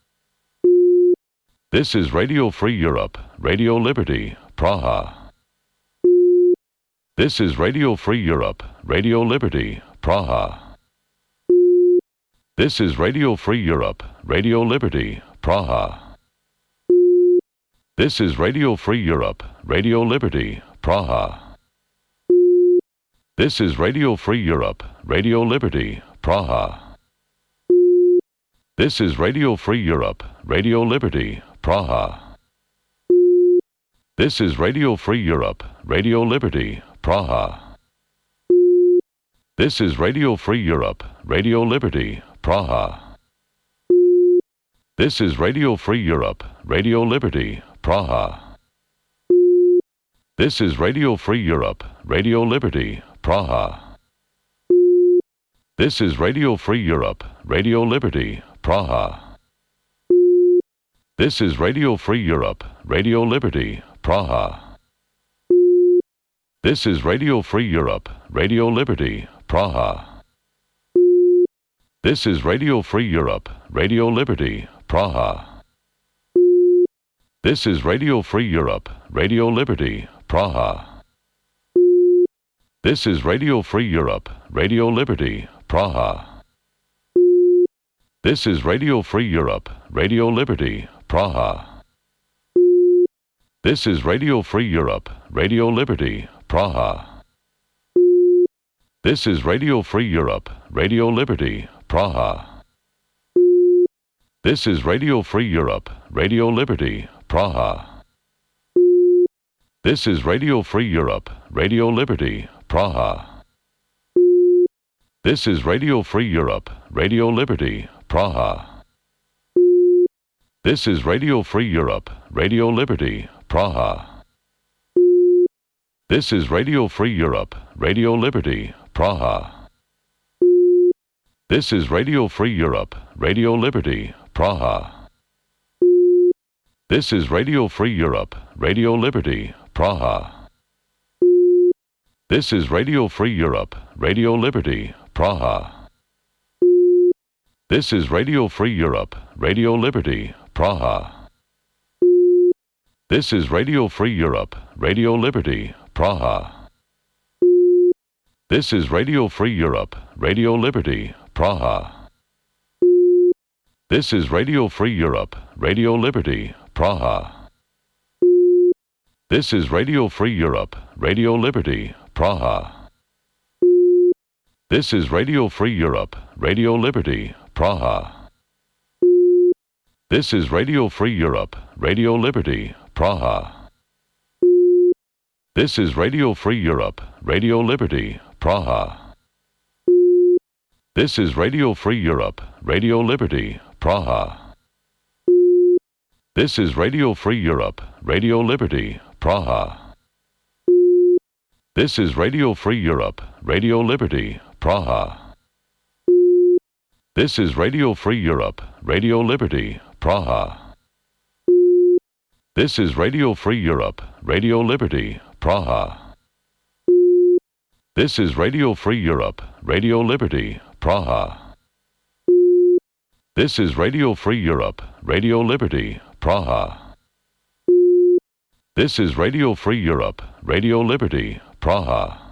This is Radio Free Europe, Radio Liberty, Praha. This is Radio Free Europe, Radio Liberty, Praha. This is Radio Free Europe, Radio Liberty, Praha. This is Radio Free Europe, Radio Liberty, Praha. This is Radio Free Europe, Radio Liberty, Praha. This is Radio Free Europe, Radio Liberty, Praha. This is Radio Free Europe, Radio Liberty, Praha. This is Radio Free Europe, Radio Liberty, Praha. This is Radio Free Europe, Radio Liberty, Praha. This is Radio Free Europe, Radio Liberty, Praha. This is Radio Free Europe, Radio Liberty, Praha. This is Radio Free Europe, Radio Liberty, Praha. This is Radio Free Europe, Radio Liberty, Praha. This is Radio Free Europe, Radio Liberty, Praha. This is Radio Free Europe, Radio Liberty, Praha. This is Radio Free Europe, Radio Liberty, Praha. This is Radio Free Europe, Radio Liberty, Praha. This is Radio Free Europe, Radio Liberty, Praha. This is Radio Free Europe, Radio Liberty, Praha. This is Radio Free Europe, Radio Liberty, Praha. This is Radio Free Europe, Radio Liberty, Praha. This is Radio Free Europe, Radio Liberty, Praha. This is Radio Free Europe, Radio Liberty, Praha. This is Radio Free Europe, Radio Liberty, Praha. This is Radio Free Europe, Radio Liberty, Praha. This is Radio Free Europe, Radio Liberty, Praha. This is Radio Free Europe, Radio Liberty, Praha. This is Radio Free Europe, Radio Liberty, Praha. This is Radio Free Europe, Radio Liberty, Praha. This is Radio Free Europe, Radio Liberty, Praha. This is Radio Free Europe, Radio Liberty, Praha. This is Radio Free Europe, Radio Liberty, Praha. This is Radio Free Europe, Radio Liberty, Praha. This is Radio Free Europe, Radio Liberty, Praha. This is Radio Free Europe, Radio Liberty, Praha. This is Radio Free Europe, Radio Liberty, Praha. This is Radio Free Europe, Radio Liberty, Praha. This is Radio Free Europe, Radio Liberty, Praha. This is Radio Free Europe, Radio Liberty, Praha. This is Radio Free Europe, Radio Liberty, Praha. This is Radio Free Europe, Radio Liberty, Praha. This is Radio Free Europe, Radio Liberty, Praha. This is Radio Free Europe, Radio Liberty, Praha.